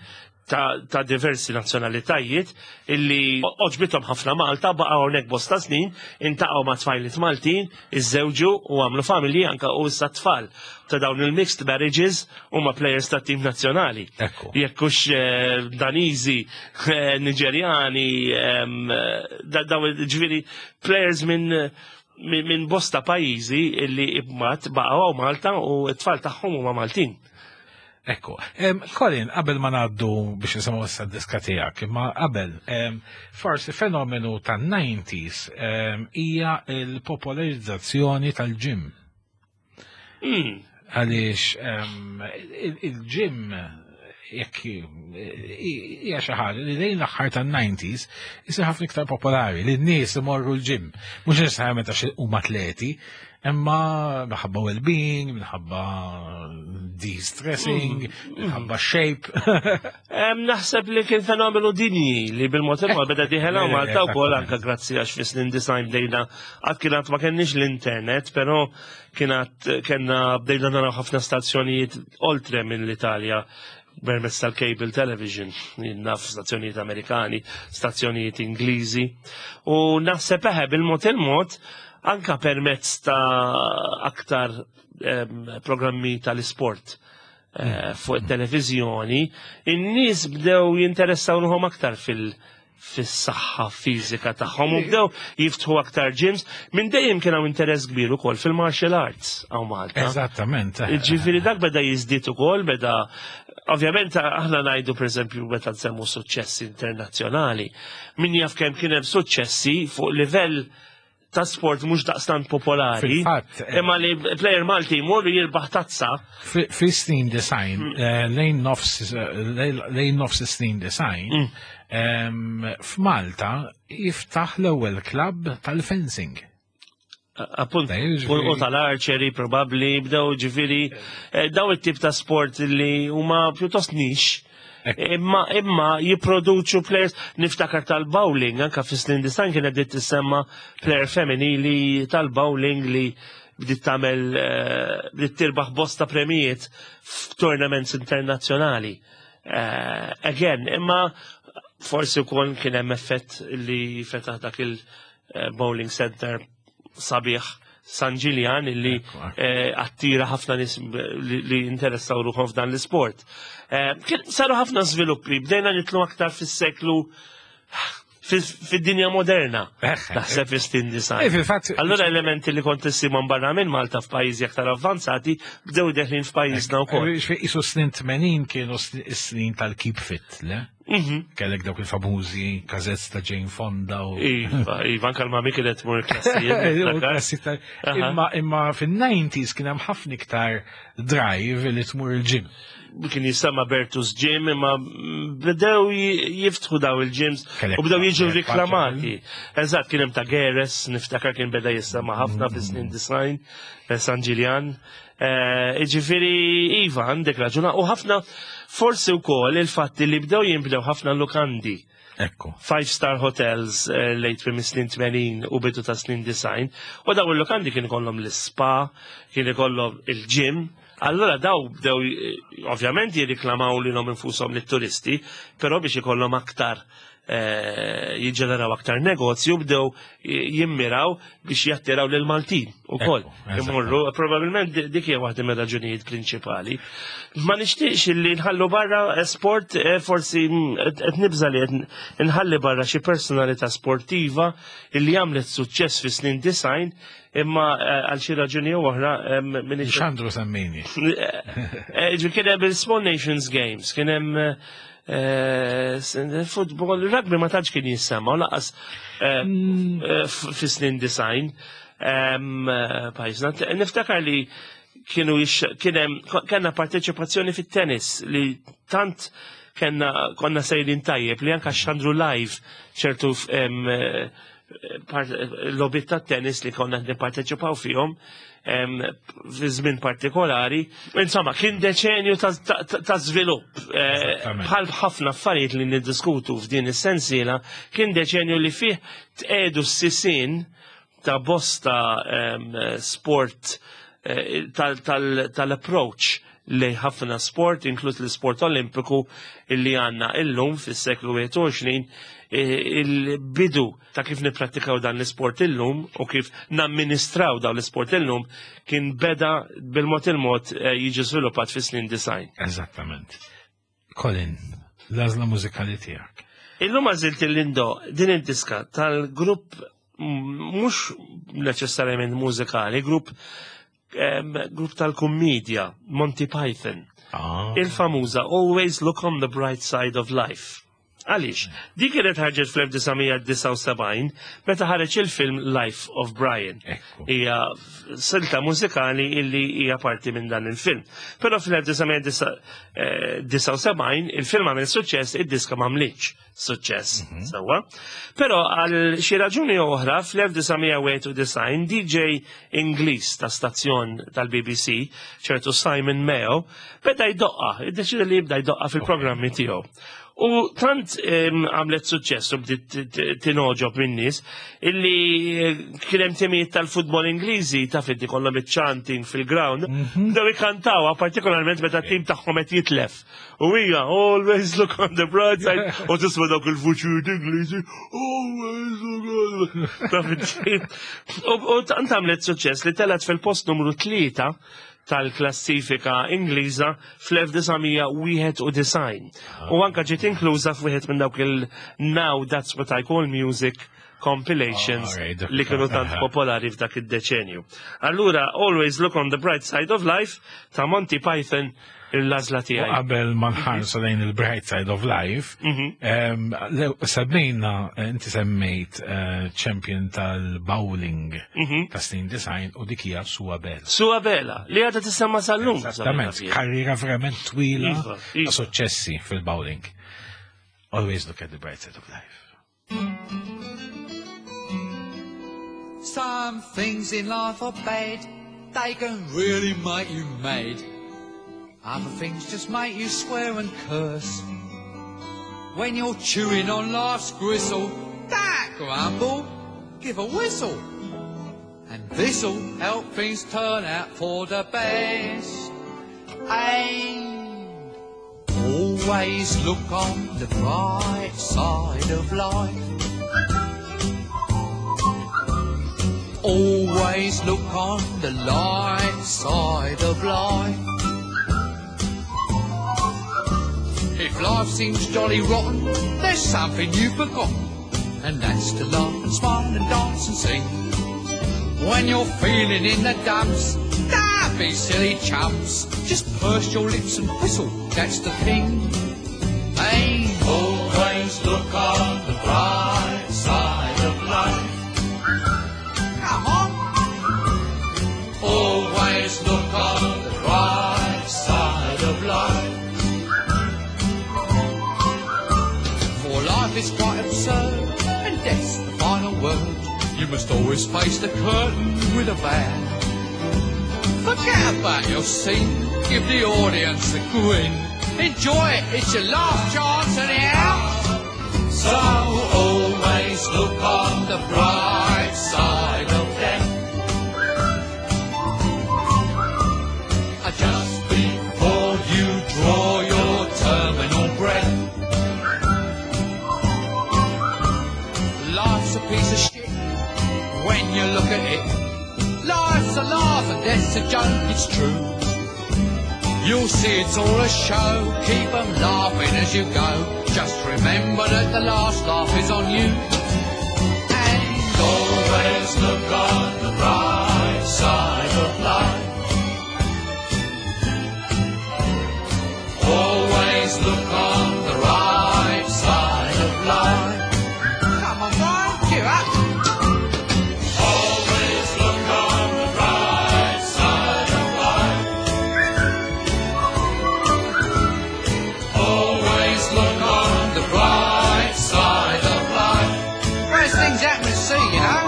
ta', ta' diversi nazzjonalitajiet illi għoġbithom ħafna Malta, baqgħu hawnhekk bosta snin, iltaqgħu ma' tfajliet Maltin, iżżewġu u għamlu familji anka, u issa tfal ta' dawn il-mixed marriages huma players ta' tim nazzjonali. Ekku. Jekk hux eh, Daniżi, eh, Niġerjani, em, eh, da- dawn ġifieri players minn minn min bosta pajjiżi illi imbagħad baqgħu hawn Malta u t-tfal tagħhom huma Maltin. Ekku. Em, Colin, qabel ma ngħaddu biex nisimgħu issa d-diska tiegħek, imma qabel, em, forsi fenomenu tan-nineties em, hija l-popolarizzazzjoni tal-gym. Mm. Għaliex em, il- il-gym jekk hija xi ħaġa li lejn l-aħħar tan-nineties isir ħafna iktar popolari li n-nies imorru l-gym. Mhux neċessarjament għax huma atleti, imma minħabba well-being, minħabba de-stressing, minħabba shape. Em, Naħseb li kien fenomenu dinji li bil-mod il-mod beda dieħel hawn Malta wkoll, anke grazzi għax fis-snin disgħin bdejna, għad kienet ma kenniex l-internet, però kienet kellna bdejna naraw ħafna stazzjonijiet oltre minn l-Italja permezz tal-cable television, naf stazzjonijiet Amerikani, stazzjonijiet Ingliżi. U naħseb eħe bil-mod il-mod anka permezz ta' aktar em, programmi tal-isport eh, fuq it-televiżjoni, in-nies bdew jinteressaw ruħhom aktar fil- fis-saħħa fiżika tagħhom u bdew jiftħu aktar gyms. Minn dejjem kien hawn interess kbir ukoll fil-martial arts hawn Malta. Eżattament. Ġifieri dak beda jiżdied ukoll, beda ovvjament aħna ngħidu, pereżempju, meta nsemmu suċċessi internazzjonali, min jaf kemm kien hemm suċċessi fuq livell ta' sport mhux daqstant popolari. Fil-fatt, eh, Imma li player Malti jmur jirbaħ tazza. Fi fi snin disgħin, eh, lejn nofs eh, lejn lejn nofs snin disgħin, em, f'Malta jiftaħ l-ewwel klabb tal-fencing. Appunt, Dej, ġifieri- u tal-archery probabli, bdew ġifieri, eh, daw it-tip ta' sport li huma pjuttost niche. Ekku. Imma imma jipproduċu players, niftakar tal-bowling, anka fi snin disgħin kienet bdiet tissemma player femminili tal-bowling li bdiet tagħmel eh, bdiet tirbaħ bosta premijiet f'tournaments internazzjonali. Eh, again, imma forsi wkoll kien hemm effett li fetaħ dak il-bowling center sabiħ San Ġiljan illi Ekku, ekku. eh, attira ħafna nies li, li interessaw ruħhom f'dan l-isport. Eh, kien saru ħafna żviluppi, bdejna nitlu aktar fis-seklu fid-dinja moderna. Eħe. Naħseb fis-snin Eh, disgħin. fil-fatt, Allora elementi li kont issimhom barra minn Malta f'pajjiżi aktar avvanzati bdew deħlin f'pajjiżna wkoll. Isu snin tmenin kienu snin tal-keep fit, le? Mhm. Kellek dawk il-famużi cassettes ta' Jane Fonda u. Iva, iva, anka l-mami kienet tmur klassijiet. U klassi ta' Aha. Imma imma fin-nineties kien hemm ħafna iktar drive li tmur il-gym. Kien jissemma Bertus Gym, imma bdew ji- jiftħu daw il-gyms Kellek u bdew jiġu Kellek riklamati. Eżatt, kien hemm ta' Geres, niftakar kien beda jissemma ħafna fis-snin disgħin, eh, San Ġiljan. Eh, Ġifieri, iva, għandek raġuna, u ħafna forsi wkoll il-fatti li bdew jinbdew ħafna lukandi. Ekku. Five star hotels eh, late prim snin tmenin u bidu ta' snin disgħin. U daw il-lukandi kien ikollhom l-spa, kien ikollhom il-gym. Allora daw bdew eh, ovvjament jirriklamaw lilhom infushom lit-turisti, però biex ikollhom aktar eh, jiġġeneraw aktar negozju bdew jimmiraw biex jattiraw lil Maltin ukoll. Ekku, Imorru, probabilment di- dik hija waħda mir-raġunijiet prinċipali. Ma nixtieqx li nħallu barra eh, sport, eh, forsi mm, qed qed nibża li qed nħalli barra xi personalità sportiva illi għamlet suċċess fi snin disgħin imma eh, għal xi raġuni jew oħra eh, minix Xandru semmini. Eh, ġi kien hemm il-Small Nations Games, kien hemm eh, s- football, rugby ma tantx kien jissemma, u lanqas eh, eh, f- fi snin disgħin. Em, eh, Pajjiżna. Niftakar li kienu jix- kien hemm kellna parteċipazzjoni fit-tennis li tant kellna konna sejrin tajjeb li anka xandru live ċertu em, eh, part- logħbiet ta' tennis li konna nipparteċipaw fihom em, fi żmien partikolari. Insomma, kien deċenju ta' ta- ta' żvilupp. Eh, Eżattament. Bħal ħafna affarijiet li niddiskutu f'din is-sensiela, kien deċenju li fih tqedu s-sisin ta' bosta em, sport eh, tal- tal- tal-approach li ħafna sport, inkluż l-sport olimpiku illi għanna illum fis-seklu wieħed u għoxrin, eh, il-bidu ta' kif nipprattikaw dan l-sport illum u kif namministraw dawn l-sport illum kien beda bil-mod il-mod eh, jiġi żviluppat fis snin disgħin. Eżattament. Colin, l-għażla mużikali tiegħek. Illum għażilt il-Lindo din id-diska tal-grupp mm, mhux neċessarjament mużikali, grupp em, grupp tal-kummedja, Monty Python. Ah. Il-famuża "Always Look on the Bright Side of Life". Għaliex, dik kienet ħarġet fl-elf disa' mija disgħa u sebgħin meta ħareġ il-film Life of Brian. Ekku. Hija silta mużikali illi hija parti minn dan il-film. Però fl-elf disa' mija disgħa u sebgħin il-film għamel suċċess, id-diska m'għamlitx suċċess. Sewwa. Però għal xi raġuni oħra fl-elf disa' mija wieħed u disgħin D J Ingliż ta' stazzjon tal-B B C, ċertu Simon Mayo, beda jdoqqa, iddeċida li jibda jdoqqa fil-programmi tiegħu. U tant em, għamlet suċċess u bdiet tingħoġob min-nies illi eh, kien hemm timijiet tal-futbol Ingliżi, taf inti, kollhom iċ-chanting fil-ground, bdew ikantawha, partikolarment meta t-tim tagħhom qed jitlef. U hija "Always look on the bright side" u tisma' dawk il-vuċijiet Ingliżi, "Always look on the", taf inti. U u tant għamlet suċċess li telgħet fil-post numru tlieta tal-klassifika Ingliża fl-elf disa' mija wieħed u disgħin. U anka ġiet inkluża f'wieħed minn dawk il-Now That's What I Call Music compilations Alright, dak li kienu tant aha. popolari f'dak id-deċenju. Allura, "Always Look on the Bright Side of Life" ta' Monty Python, l-għażla U tiegħi. qabel ma nħarsu lejn il-bright side of life, Mhm. em, lew- semmejna, inti semmejt eh, champion tal-bowling Mhm. ta' snin disgħin u dik hija Sue Bella. Sue Bella, li għadha tissemma sal-lum. Esattament, karriera verament twila Iva, ta' iva. suċċessi fil-bowling. Always look at the bright side of life. Some things in life are bad, they can really make you mad. Other things just make you swear and curse. When you're chewing on life's gristle, don't grumble, give a whistle. And this'll help things turn out for the best. And always look on the bright side of life. Always look on the light side of life. If life seems jolly rotten, there's something you've forgotten, and that's to laugh and smile and dance and sing. When you're feeling in the dumps, don't be silly chumps. Just purse your lips and whistle, that's the thing. And always look on the bright side of life. Come on. Always look on the bright side of life. For life is quite absurd, and death's the final word. You must always face the curtain with a bow. Forget about your scene, give the audience a grin. Enjoy it, it's your last chance anyhow. So always look on the bright side of death. Uh, Just before you draw your terminal breath. Life's a piece of shit when you look at it. Life's a laugh and death's a joke, it's true. You'll see it's all a show, keep 'em laughing as you go. Just remember that the last laugh is on you. And always look on the bright side of life. Always look on the right side of life. Come on, Brian, cheer up. Always look on the bright side of life. Always look on the bright side of life. Whereas things happen at sea, you know.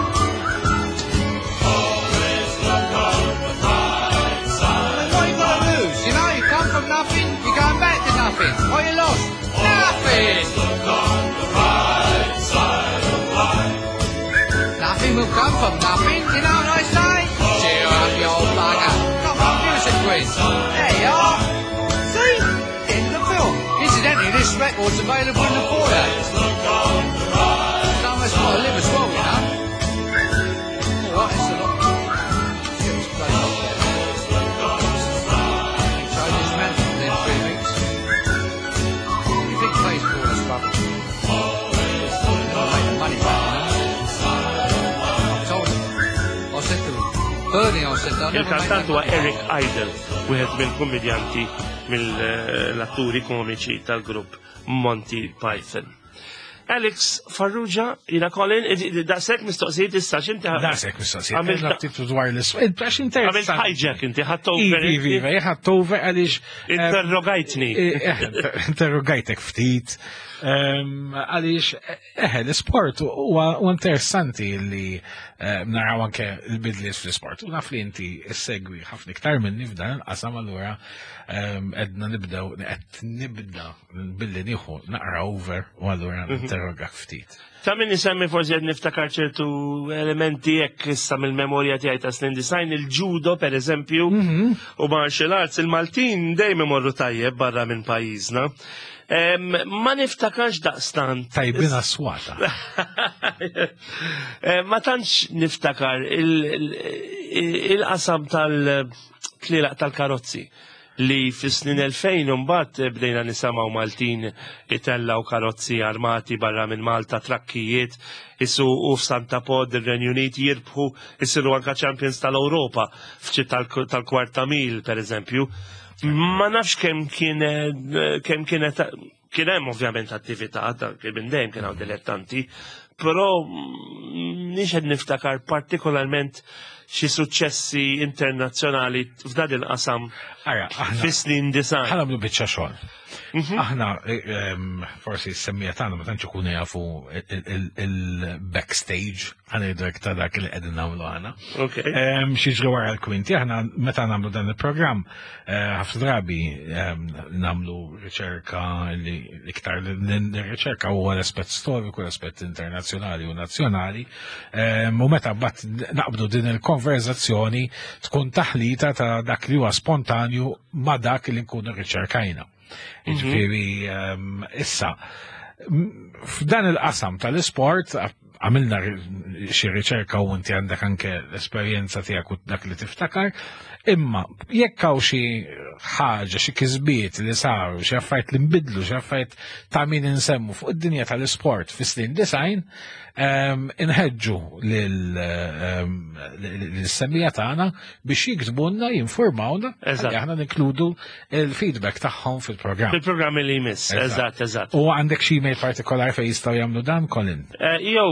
Always look on the bright side. What you got to lose? You know, you come from nothing, you're going back to nothing. What you lost? Nothing. Look on the bright side of life. Nothing will come from nothing, you know what I say? Cheer up, you old bugger. Come on, give us a quiz. There you are. See? End of the film. Incidentally, this record's available in the foyer. Someone's got to live as well, you know. All right, it's a lot. Let's get this place up there. Change his management within three weeks. You think pays for all this rubbish? Never make the money back, you know. I told him. I said to him, Bernie, I said, I'll never make Il-kantant that huwa money Eric back. Idle, wieħed mill-kummedjanti, mill-atturi komiċi tal-grupp Monty Python. Alex Farrugia, jiena Colin, daqshekk mistoqsijiet issa x'inti Daqshekk mistoqsijiet. Għamil ftit dwar l-isfid, għax interessanti. Għamilt hijack inti, ħadt over. Iva, iva, ħadt over għaliex. Interrogajtni. Eh, interrogajtek ftit. Għaliex, eħe, l-sport huwa interessanti li naraw anke l-bidliet fl-sport. U naf li inti ssegwi ħafna iktar minni f'dan il-qasam, allura edna nibdew, qed nibda billi nieħu naqra over u allura interrogak ftit. Ta' min isemmi forsi qed niftakar ċertu elementi jekk issa mill-memorja tiegħi ta' snin disgħin, il-judo per eżempju u martial arts, il-Maltin dejjem imorru tajjeb barra minn pajjiżna. Ma niftakarx daqstant. Tajbina swata. Ma tantx niftakar il-qasam tal-tlilaq tal-karozzi li fis-snin elfejn mbagħad bdejna nisimgħu Maltin itellaw karozzi armati barra minn Malta, trakkijiet, isuqu f'Santa Pod, ir-Renju Unit, jirbħu, isiru anka champions tal-Ewropa f'ċi tal-kwarta mil per eżempju. Ma nafx kemm kien kemm kienet kien hemm ovvjament attività ta' kien minn dejjem kien hawn dilettanti, però mhix qed niftakar partikolarment xi suċċessi internazzjonali f'dan il-qasam fis-snin disgħin. Ħa nagħmlu biċċa xogħol. Aħna forsi s-semmija tagħna ma tantx ikunu jafu il-backstage, ħa ngħidu hekk, ta' dak li qegħdin nagħmlu aħna. Xi wara l-kwinti, aħna meta nagħmlu dan il-programm, ħafna drabi nagħmlu riċerka li iktar riċerka huwa l-aspett storiku, l-aspett internazzjonali u nazzjonali, u meta mbagħad naqbdu din il-konverzazzjoni tkun taħlita ta' dak li huwa spontanju ma' dak li nkunu riċerkajna. Ġifieri, issa, f'dan il-qasam tal-isport, għamilna xi riċerka u inti għandek anke l-esperjenza tiegħek u dak li tiftakar, imma jekk hawn xi ħaġa, xi kisbiet li saru, xi affarijiet li nbidlu, xi affarijiet ta' min insemmu fuq id-dinja tal-isport fis-snin disgħin, inħeġġu lill-semmija tagħna biex jiktbulna, jinformawna, aħna ninkludu il-feedback tagħhom fil-programm. Fil-programm li jmiss, eżatt, eżatt. U għandek xi email partikolari fejn jistgħu jagħmlu dan, Colin? Jew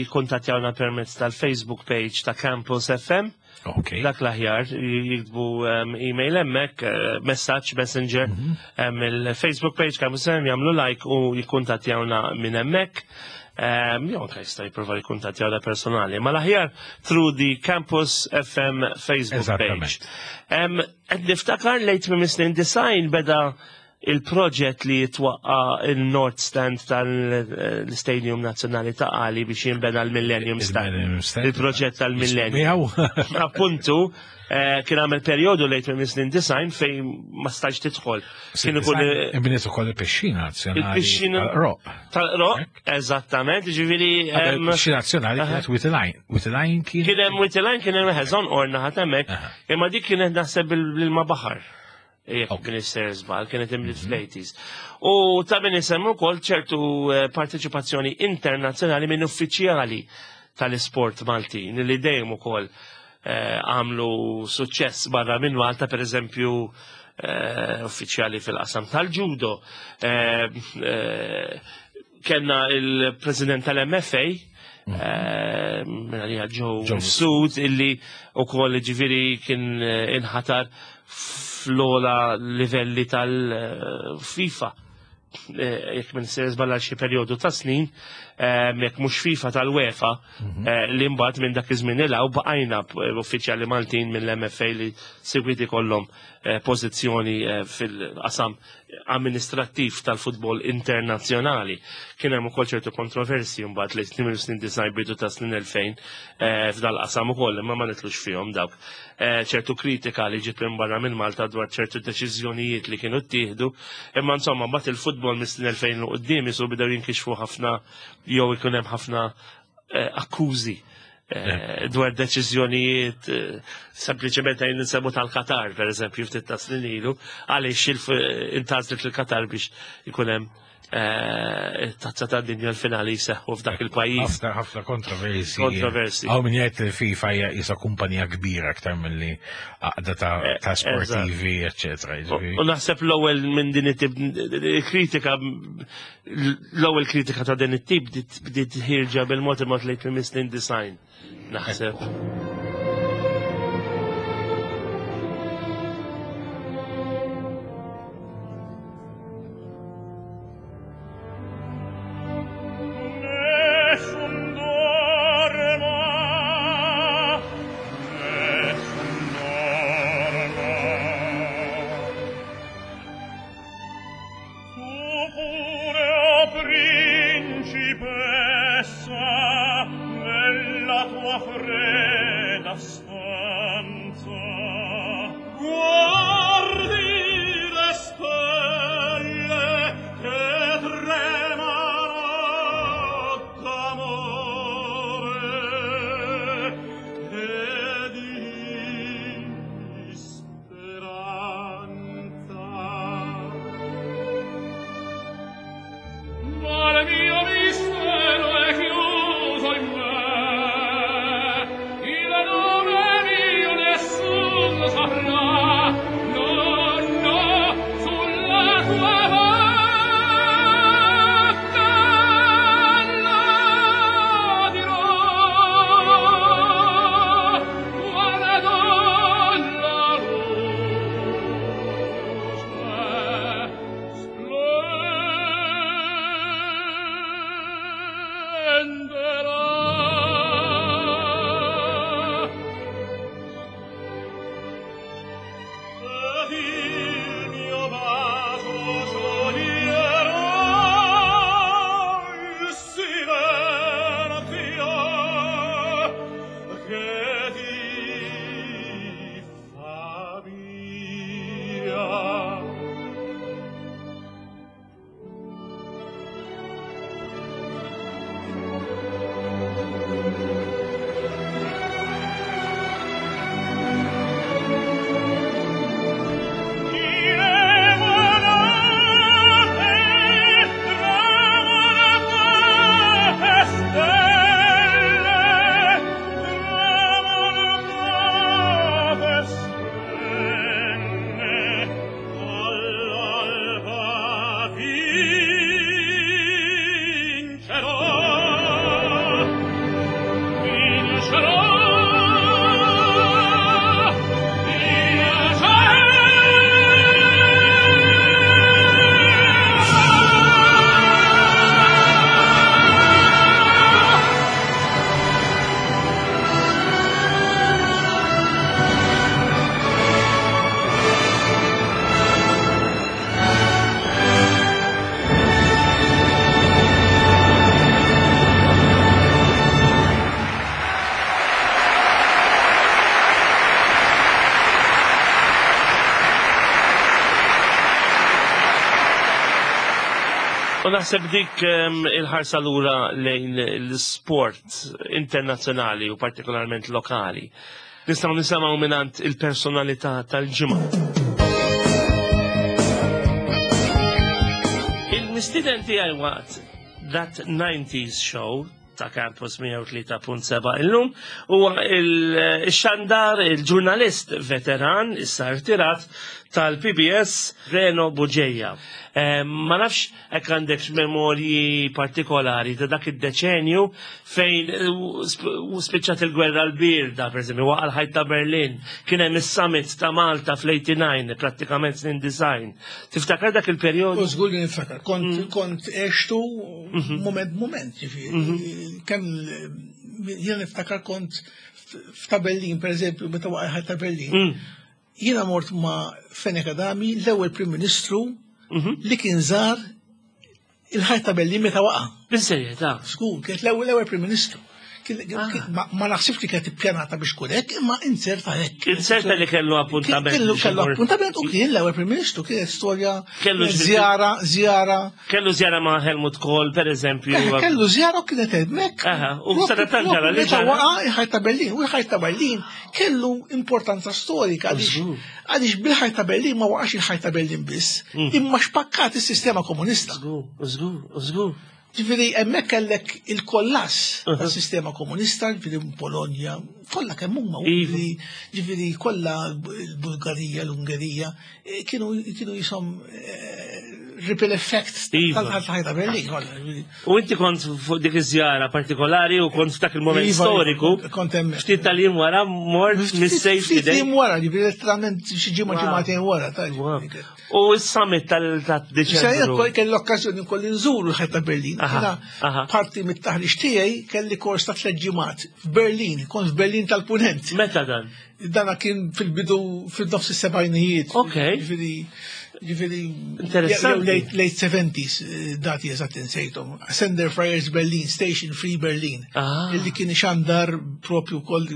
jikkuntattjawna permezz tal-Facebook page ta' Campus F M. Okay. Dak l-aħjar, jiktbu email hemmhekk, messaġġ, messenger, il-Facebook page Campus F M, jagħmlu like u jikkuntattjawna minn hemmhekk. Jew anke jista' jipprova jikkuntattjawna personali. Ma l-aħjar through the Campus F M Facebook page. Qed niftakar lejn tmiem is-snin disgħin beda il-proġett li jitwaqqa il-North Stand tal-Stadium Nazzjonali Ta' Qali biex jinbena l-Millennium Stand. Il-proġett tal-Millennium. Appuntu, kien għamel periodu lejn tmiem is-snin disgħin fejn ma stajx tidħol. Kien ikun Inbniet ukoll il-pixxina nazzjonali. Il-pixxina tal-Qroq. Tal-Qroq, eżattament, ġifieri. Il-pixxina nazzjonali kienet Wied il-Għajn. Wied il-Għajn kien. Kien hemm Wied il-Għajn, kien hemm ħeżon orna ħadd hemmhekk, imma dik kienet naħseb bil-ma baħar. Jekk kien isser żball, kienet inbniet fl-eighties. U ta' min isemmu wkoll ċertu parteċipazzjoni internazzjonali minn uffiċjali tal-isport Maltin li dejjem ukoll għamlu suċċess barra minn Malta, per eżempju uffiċjali fil-qasam tal-judo. Kenna il-president tal-M F A, minna Joe Sud, illi u koll ġifieri kien inħatar fl-ogħla livelli tal-FIFA. Jekk minn sejjer żball xi perjodu ta' snin, jekk mhux FIFA, tal-UEFA, li mbagħad minn dak iż-żmien il baqajna uffiċjali Maltin mill-M F A li segwiti kollhom pożizzjoni fil-qasam amministrattiv tal-futbol internazzjonali. Kien hemm ukoll ċertu kontroversi mbagħad li snin snin disgħin, bidu ta' snin elfejn f'dal-qasam ukoll, imma ma nitlux fihom dawk. Ċertu kritika li ġiet minn barra minn Malta dwar ċertu deċiżjonijiet li kienu ttieħdu, imma insomma mbagħad il-futbol mis-snin elfejn u quddiem isu bdew jinkixfu ħafna jew ikun hemm ħafna akkużi dwar deċiżjonijiet, sempliċement għajn nsemmu tal-Qatar, per eżempju, ftit ta' snin ilu, għaliex intgħażlet il-Qatar biex ikun hemm eh, it-tazza tad-dinja l-finali jseħħu f'dak il-pajjiż. Ħafna ħafna kontroversi. Kontroversi. Hawn min jgħid li FIFA hija isa kumpanija kbira aktar milli għaqda ta' Eh, ta' sportivi, eċetera. U u naħseb l-ewwel minn din it-tip kritika l-ewwel kritika ta' din it-tip bdiet bdiet ħierġa bil-mod il-mod lejn tmiem is-snin design. Naħseb. Nessun dorma, nessun dorma. Tu pure, o principessa, nella tua fredda stanza, guardi le stelle che tremano d'amore e di speranza. Ma il mio mistero è chiuso in me, il nome mio nessuno saprà, no, no, sulla tua bocca la dirò, quando la luce splenderà. Ed il mio bacio scioglierà il silenzio che ti fa mia. Vincerò, vincerò, vincerò. U naħseb dik em, il-ħarsa lura lejn l-sport internazzjonali u partikolarment lokali. Nistgħu nisimgħu mingħand il-personalità tal-ġimgħa. Il-mistieden tiegħi waqt That nineties Show ta' Campus mija u tlieta punt seba' illum huwa il-xandar, il-ġurnalist veteran, issa rtirat, tal-P B S, Reno Bugeja. Eh, Ma nafx hekk għandek memorji partikolari ta' dak id-deċenju fejn eh, u sp- u spiċċat il-gwerra l-birda, per eżempju, waqa' l-ħajt ta' Berlin, kien hemm is-summit ta' Malta fl-eighty-nine, prattikament snin design. Tiftakar dak il-perjodu? U żgur li niftakar, kont kont għextu moment moment, ġifieri. Kemm jiena niftakar kont f'ta' Berlin, per eżempju, meta waqa' ta' Berlin. Jiena mort ma' Fenech Adami, l-ewwel Prim Ministru li kien żar il-ħajt ta' Berlin meta waqa'. Bis-serjetà. Żgur, kienet l-ewwel l-ewwel Prim Ministru. Kien- kien- Ma ma naħsibx li kienet ippjanata biex tkun hekk, imma inserta hekk. Inserta li kellu appuntament. Kellu biex kellu imur. appuntament u kien l-ewwel Prim Ministru, kienet storja Kellu kienet ġifieri- żjara, żjara. Kellu żjara ma' Helmut Kohl, per eżempju. Eh, Kellu żjara u kienet hemmhekk. Aha, u sadattant ġara li Meta ġara. waqa' il-ħajt ta' Berlin, u il-ħajt ta' Berlin kellu importanza storika għaliex Żgur. għaliex bil-ħajt ta' Berlin ma waqax il-ħajt ta' Berlin biss, Mm. imma xpakkat is-sistema komunista. Żgur, żgur, żgur. Ġifieri hemmhekk kellek il-kollass Uh-huh. tas-sistema komunista, ġifieri Polonja, kollha kemm huma, Iva. ġifieri ġifieri kollha l-Bulgarija, l-Ungerija, eh, kienu kienu jisom eh, ripple effect Iva. tal-ħajt ta' Berlin kollha. ġifieri. U inti kont fuq dik iż-żjara partikolari u kont f'dak il-moment Iva, storiku. kont hemmhekk. Ftit tal-jiem wara mort mis-sejf Ftit f'idejk. jiem wara, ġifieri letteralment xi ġimgħa Wow. ġimgħatejn wara. ta' Wow. ġifieri. U s-summit Sejja tal-Deċembru. kelli l-okkażjoni nkolli nżuru l-ħajt ta' Berlin. Aha, Jiena aha. parti mit-taħriġ tiegħi kelli kors ta' tliet ġimgħat f'Berlin, kont f'Berlin tal-Punent. Meta dan? Dana kien fil-bidu fil-nofs is-sebgħinijiet. Ok. Ġifieri ġifieri Interessanti. jew Late, late seventies eh, dati eżatt insejthom. Sender Friars Berlin, Station Free Berlin. Ah. Illi kien ixandar propju wkoll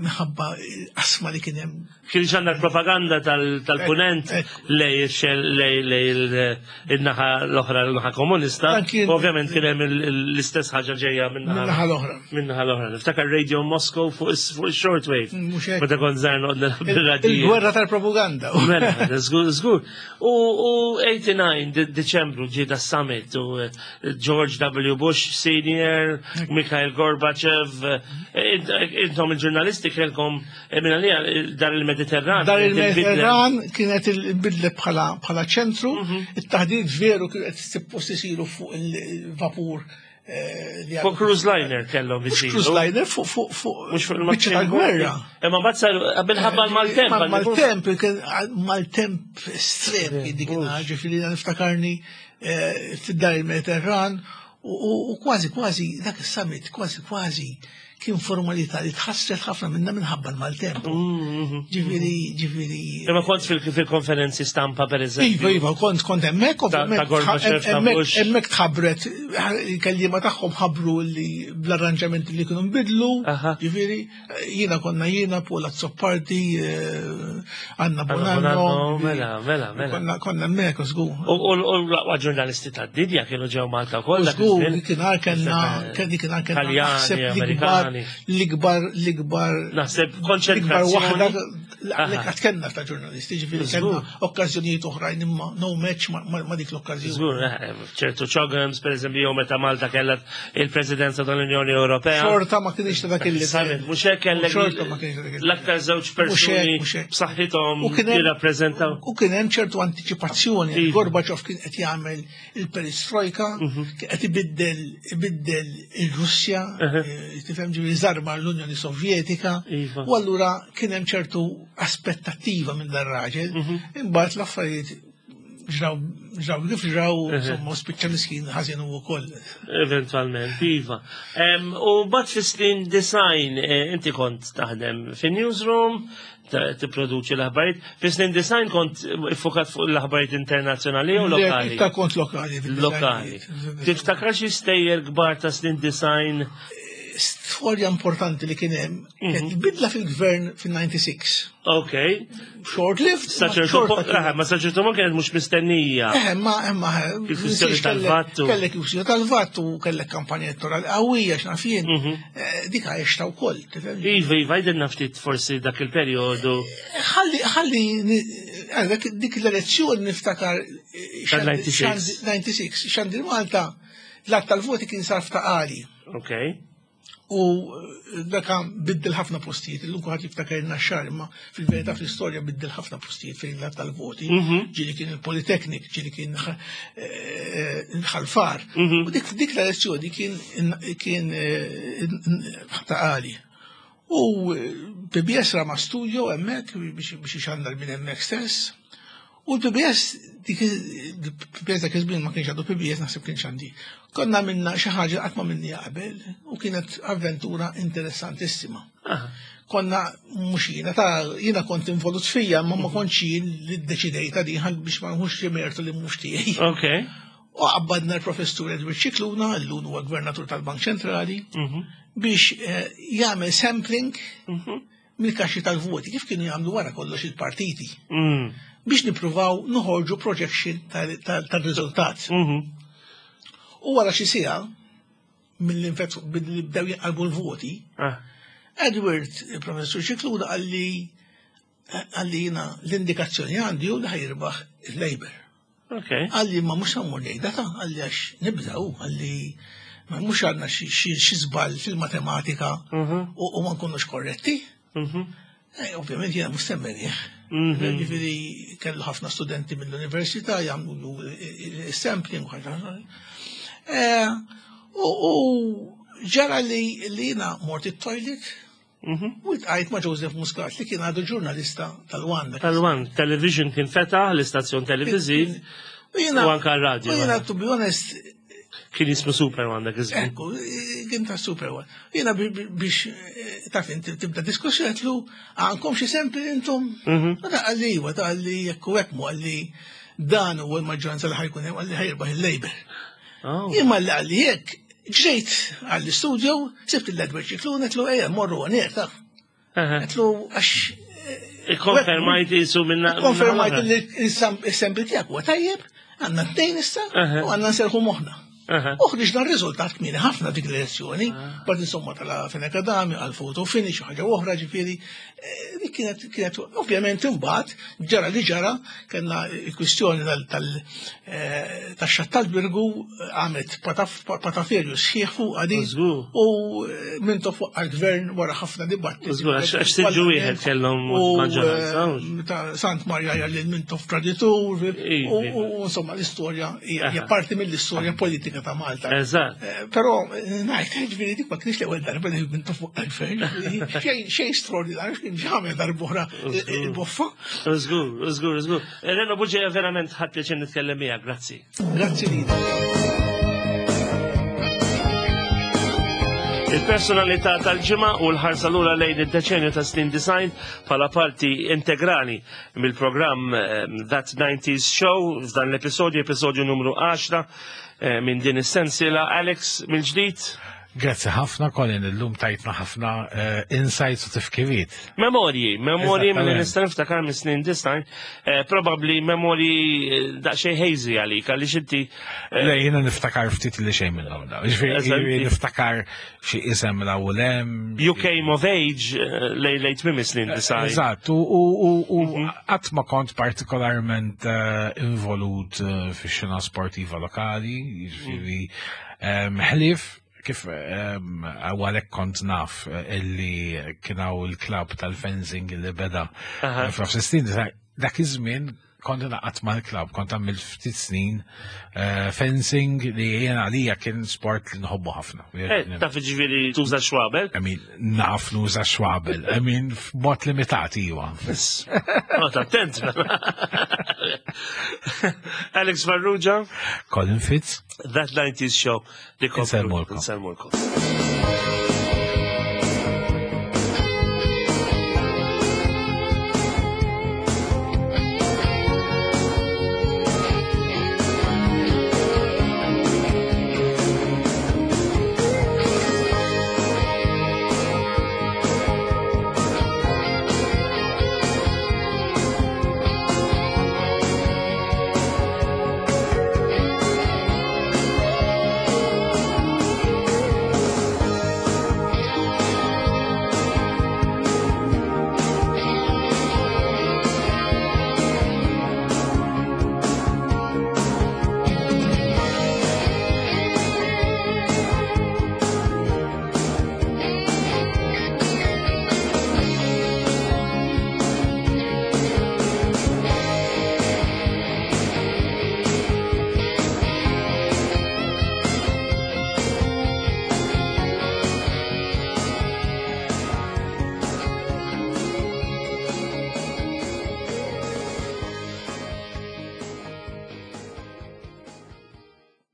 minħabba l-qasma li kien hemm. Kien xandar propaganda tal- tal-punent Ek, lej ix-xell- lej lej il- il-naħa l-oħra, l-naħa komunista. Dan kien- Ovvjament kien hemm il- il- l-istess ħaġa ġejja Min-naħa minnaħa l-oħra. minnaħa l-oħra. Niftakar Radio Moscow fuq is- fuq il-shortwave. Mhux hekk. Meta kont żgħar noqgħod nilgħab bir-radiju. Il-gwerra tal-propaganda. Mela, żgur, żgur. U u tmienja u disgħin De- Deċembru ġie da summit u eh, George W. Bush Senior, Mikhail Gorbachev, eh, int- intom il-ġurnalisti kellkom eh, minn għalija eh, dar il-Mediterran. Dar kienet il-bidla. il-Mediterran kienet il-bidlet bħala bħala ċentru, Mhm. it-taħdid veru kien qed suppost isiru fuq il-vapur eh, li Fuq cruise liner kellhom Mhux isiru. cruise liner fuq fuq fuq Mhux fuq biċċa tal-gwerra. Imma mbagħad saru minħabba l-maltemp. Ma- Maltemp, kien maltemp estrem kien dik ġifieri niftakarni eh, fid-dar il-Mediterran u- u u kważi kważi dak is-summit kważi kważi kien formalità li tħassret ħafna minna minħabba l-maltemp. Mhm. Ġifieri, ġifieri. Imma kont fil- fil-konferenzi stampa per eżempju. Iva, iva, kont kont hemmhekk, Ta' ovvjament, ta' Gorbachev, ta' hemmhekk- Bush. hemmhekk tħabbret, il-kelliema tagħhom ħabbru li bl-arranġamenti li kienu nbidlu, Aha. ġifieri, jiena konna jiena, Paul Azzopardi, eh, Anna Anna Bonanno, Bonanno, mela, mela, mela. Konna konna hemmhekk, żgur. U u- u l-aqwa ġurnalisti tad-dinja kienu ġew Malta wkoll. dak Żgur, iż-żmien. dik inhar kellna, dik inhar kellna Taljani, naħseb l-ikbar, Amerikani. l-ikbar, l-ikbar Naħseb l-ikbar konċentrazzjoni. waħda Aha. li qatt kellna ta' ġurnalisti, ġifieri Żgur. kellna okkażjonijiet oħrajn imma no match ma- ma ma dik l-okkażjoni. Żgur, eh, ċertu ċogams, per eżempju, jew meta Malta kellha il-Presidenza tal-Unjoni Ewropea. Xorta ma kienx ta' dak il Summit, mhux hekk kellek Xorta ma kienx ta' dak il- l-aktar żewġ Mhux hekk, persuni mhux hekk. b'saħħithom U kien hemm- jirrappreżentaw. U kien hemm ċertu antiċipazzjoni. Iva. Gorbachev kien qed jagħmel il-perestroika, Mhm. kien qed ibiddel ibiddel il-Russja, eh, tifhem ġifieri żarma l-Unjoni Sovjetika. Iva. U allura kien hemm ċertu aspettattiva minn dan raġel. Mhm. Imbagħad l-affarijiet ġraw ġraw kif ġraw, insomma, u spiċċa miskin ħażin hu wkoll. Eventualment, iva. Em, U bat fi snin design, eh, inti kont taħdem fi newsroom, ta- tipproduċi l-aħbarijiet. Fi snin design kont iffokat fuq l-aħbarijiet internazzjonali u lokali. Ta' kont lokali. Lokali. Tiftakar xi stejjer kbar ta' snin design? Storja importanti li kien hemm, Mhm. kienet bidla fil-gvern fil-ninety-six. Ok. Short-lived, Sa ma ċertu xorta punt- kienet. ah, ma sa ċertu punt kienet mhux mistennija. Eh, ma, eh, ma, eh, Il-kwistjoni kellek- tal-vattu. Kellek il-kwistjoni tal-vattu, kellek kampanja elettorali qawwija, x'naf jien. Mhm. Eh, Dik għexta wkoll, tifhem? Iva, iva, jdenna ftit forsi dak il-perjodu. Ħalli, ħalli, ni- eh, dak- dik l-elezzjoni niftakar eh, Tal- xandi- ninety-six. xandi- ninety-six, xandir Malta, l-att tal-voti kien sar f'taqali. Ok. U eh, dak biddel ħafna postijiet, illum kulħadd jiftakar in-Naxxar, imma fil-verità fl-istorja biddel ħafna postijiet fejn l-att tal-voti. Mhm. Ġieli kien il-Politeknik, ġieli kien eh, Ħal Far. Mhm. U dik dik l-elezzjoni kien kien eh, taqali. U eh, P B S rama studio hemmhekk biex biex ixandar minn hemmhekk stess. U l-P B S, dik il-P B S dak iż-żmien ma kienx għadu P B S, naħseb kienx għandi. Konna minna xi ħaġa qatt ma minni qabel u kienet avventura interessantissima. Ah, Konna mhux jiena ta' jiena kont involut fija, ma ma kontx jien li ddeċidejta din ħan biex ma nħux xi mertu li mhux tiegħi. Ok. U qabbadna l-professur Edward Scicluna, l-lum huwa gvernatur tal-Bank Ċentrali, biex eh, jagħmel sampling mill-kaxxi tal-voti, kif kienu jagħmlu wara kollox il-partiti, Mm. biex nippruvaw noħorġu projection tal-riżultat. Mhm. U wara xi siegħa mill-infett billi bdew jinqalbu l-voti, Ah. Edward, il-professur Scicluna, qalli qalli jiena l-indikazzjoni għandi u li ħa jirbaħ il-Labour. Ok. Qalli ma mhux ħa mmur ngħidha ta, qalli għax nibżaw, qalli ma mhux għandna xi żball fil-matematika Mhm. u u ma nkunux korretti. Mhm. Eh, Ovvjament jiena mhux semmenih. Mhm. Ġifieri kellu ħafna studenti mill-università jagħmlu sampling u ħaġa. Eh, U u ġara li li jiena mort it-toilet Mhm. u ltqajt ma' Joseph Muscat li kien għadu ġurnalista tal-One. Tal-One, television kien fetaħ, l-istazzjon televiziv, U jiena u anka r-radio. U jiena, to be honest, Kien jismu Super One dak iż-żmien. Ekku, kien ta' Super One. Jiena bi- bi- biex, eh, taf inti tibda diskussjoni għedtlu, għandkom xi sample intom? Mhm. U da qalli iva, da qalli jekku hekk mu qalli dan u l-maġġoranza li ħa jkun hemm qalli ħa jirbaħ il-Labour. Oh. Jien malli qalli hekk, ġejt għall-studio, sibt l-Edward Scicluna, għedtlu ejja morru għanek, taf. Aha. Għedtlu għax Ikkonfermajt jisu minna. konfermajt li il-sample tiegħek huwa tajjeb, għandna tnejn issa Aha. u għandna nserħu moħħna. Aha. U ħriġna r-riżultat kmieni ħafna dik l-elezzjoni, bad insomma tala Fenech Adami, għal photo finish, u ħaġa oħra ġifieri, eh, dik kienet, kienet, ovvjament imbagħad ġara li ġara, kellna il-kwistjoni tal- tal- eh, tax-xatt tal-Birgu għamet pataf- pataferju sħiħ fuq għadi Żgur. u eh, Mintoff fuq għal-gvern wara ħafna dibattiti. Żgur, għax- għax siġġu wieħed kellhom U, maġġoranza, eh, hux? ta' Sant Marja lil Mintoff traditur, Ivi. u u, insomma l-istorja hija hija Aha. parti mill-istorja politika ta' Malta. Eżatt. Eh, Però eh, ngħid, ġifieri dik ma kienx l-ewwel darba li Mintoff fuq għal-gvern, xejn xejn straordinarju, kien ġamel darb'oħra il-boffa. Żgur, żgur, żgur. Reno Bugeja, verament ħadt pjaċir nitkellem miegħek, grazzi. Grazzi lilek. Il-personalità tal-ġimgħa u l-ħarsa lura lejn id-deċenju ta' snin disgħin bħala parti integrali mill-programm eh, That nineties Show f'dan l-episodju, episodju numru għaxra eh, minn din is-sensiela. Alex, mill-ġdid, Grazzi ħafna, Colin, illum tajtna ħafna eh, insights u tifkiriet. Memorji, memorji minn Eżattament. nista' niftakar minn snin disgħin, eh, probably memorji eh, daqsxejn hazy għalik, għaliex inti eh, Le, jiena niftakar ftit li xejn minnhom da. Ġifieri Eżatt. niftakar xi isem la u lem. You came of age eh, lej lejn tmiem snin disgħin. Eżatt, u u u u qatt ma kont partikolarment eh, involut eh, fix-xena sportiva lokali, jiġifieri em, ħlief kif em, għalhekk kont naf eh, illi kien hawn il-klabb tal-fencing li beda Aha. eh, f'nofs is-snin, dak iż-żmien kont naqgħod mal-klabb, kont għamil ftit snin eh, fencing li jiena għalija kien sport li nħobbu ħafna. Eh, Taf ġifieri tuża xwabel? I mean, naf nuża xwabel. I mean, f'mod limitat, iwa. Oh, attent. Alex Farrugia, Colin Fitz. That nineties Show. Insellmulkom. Insellmulkom.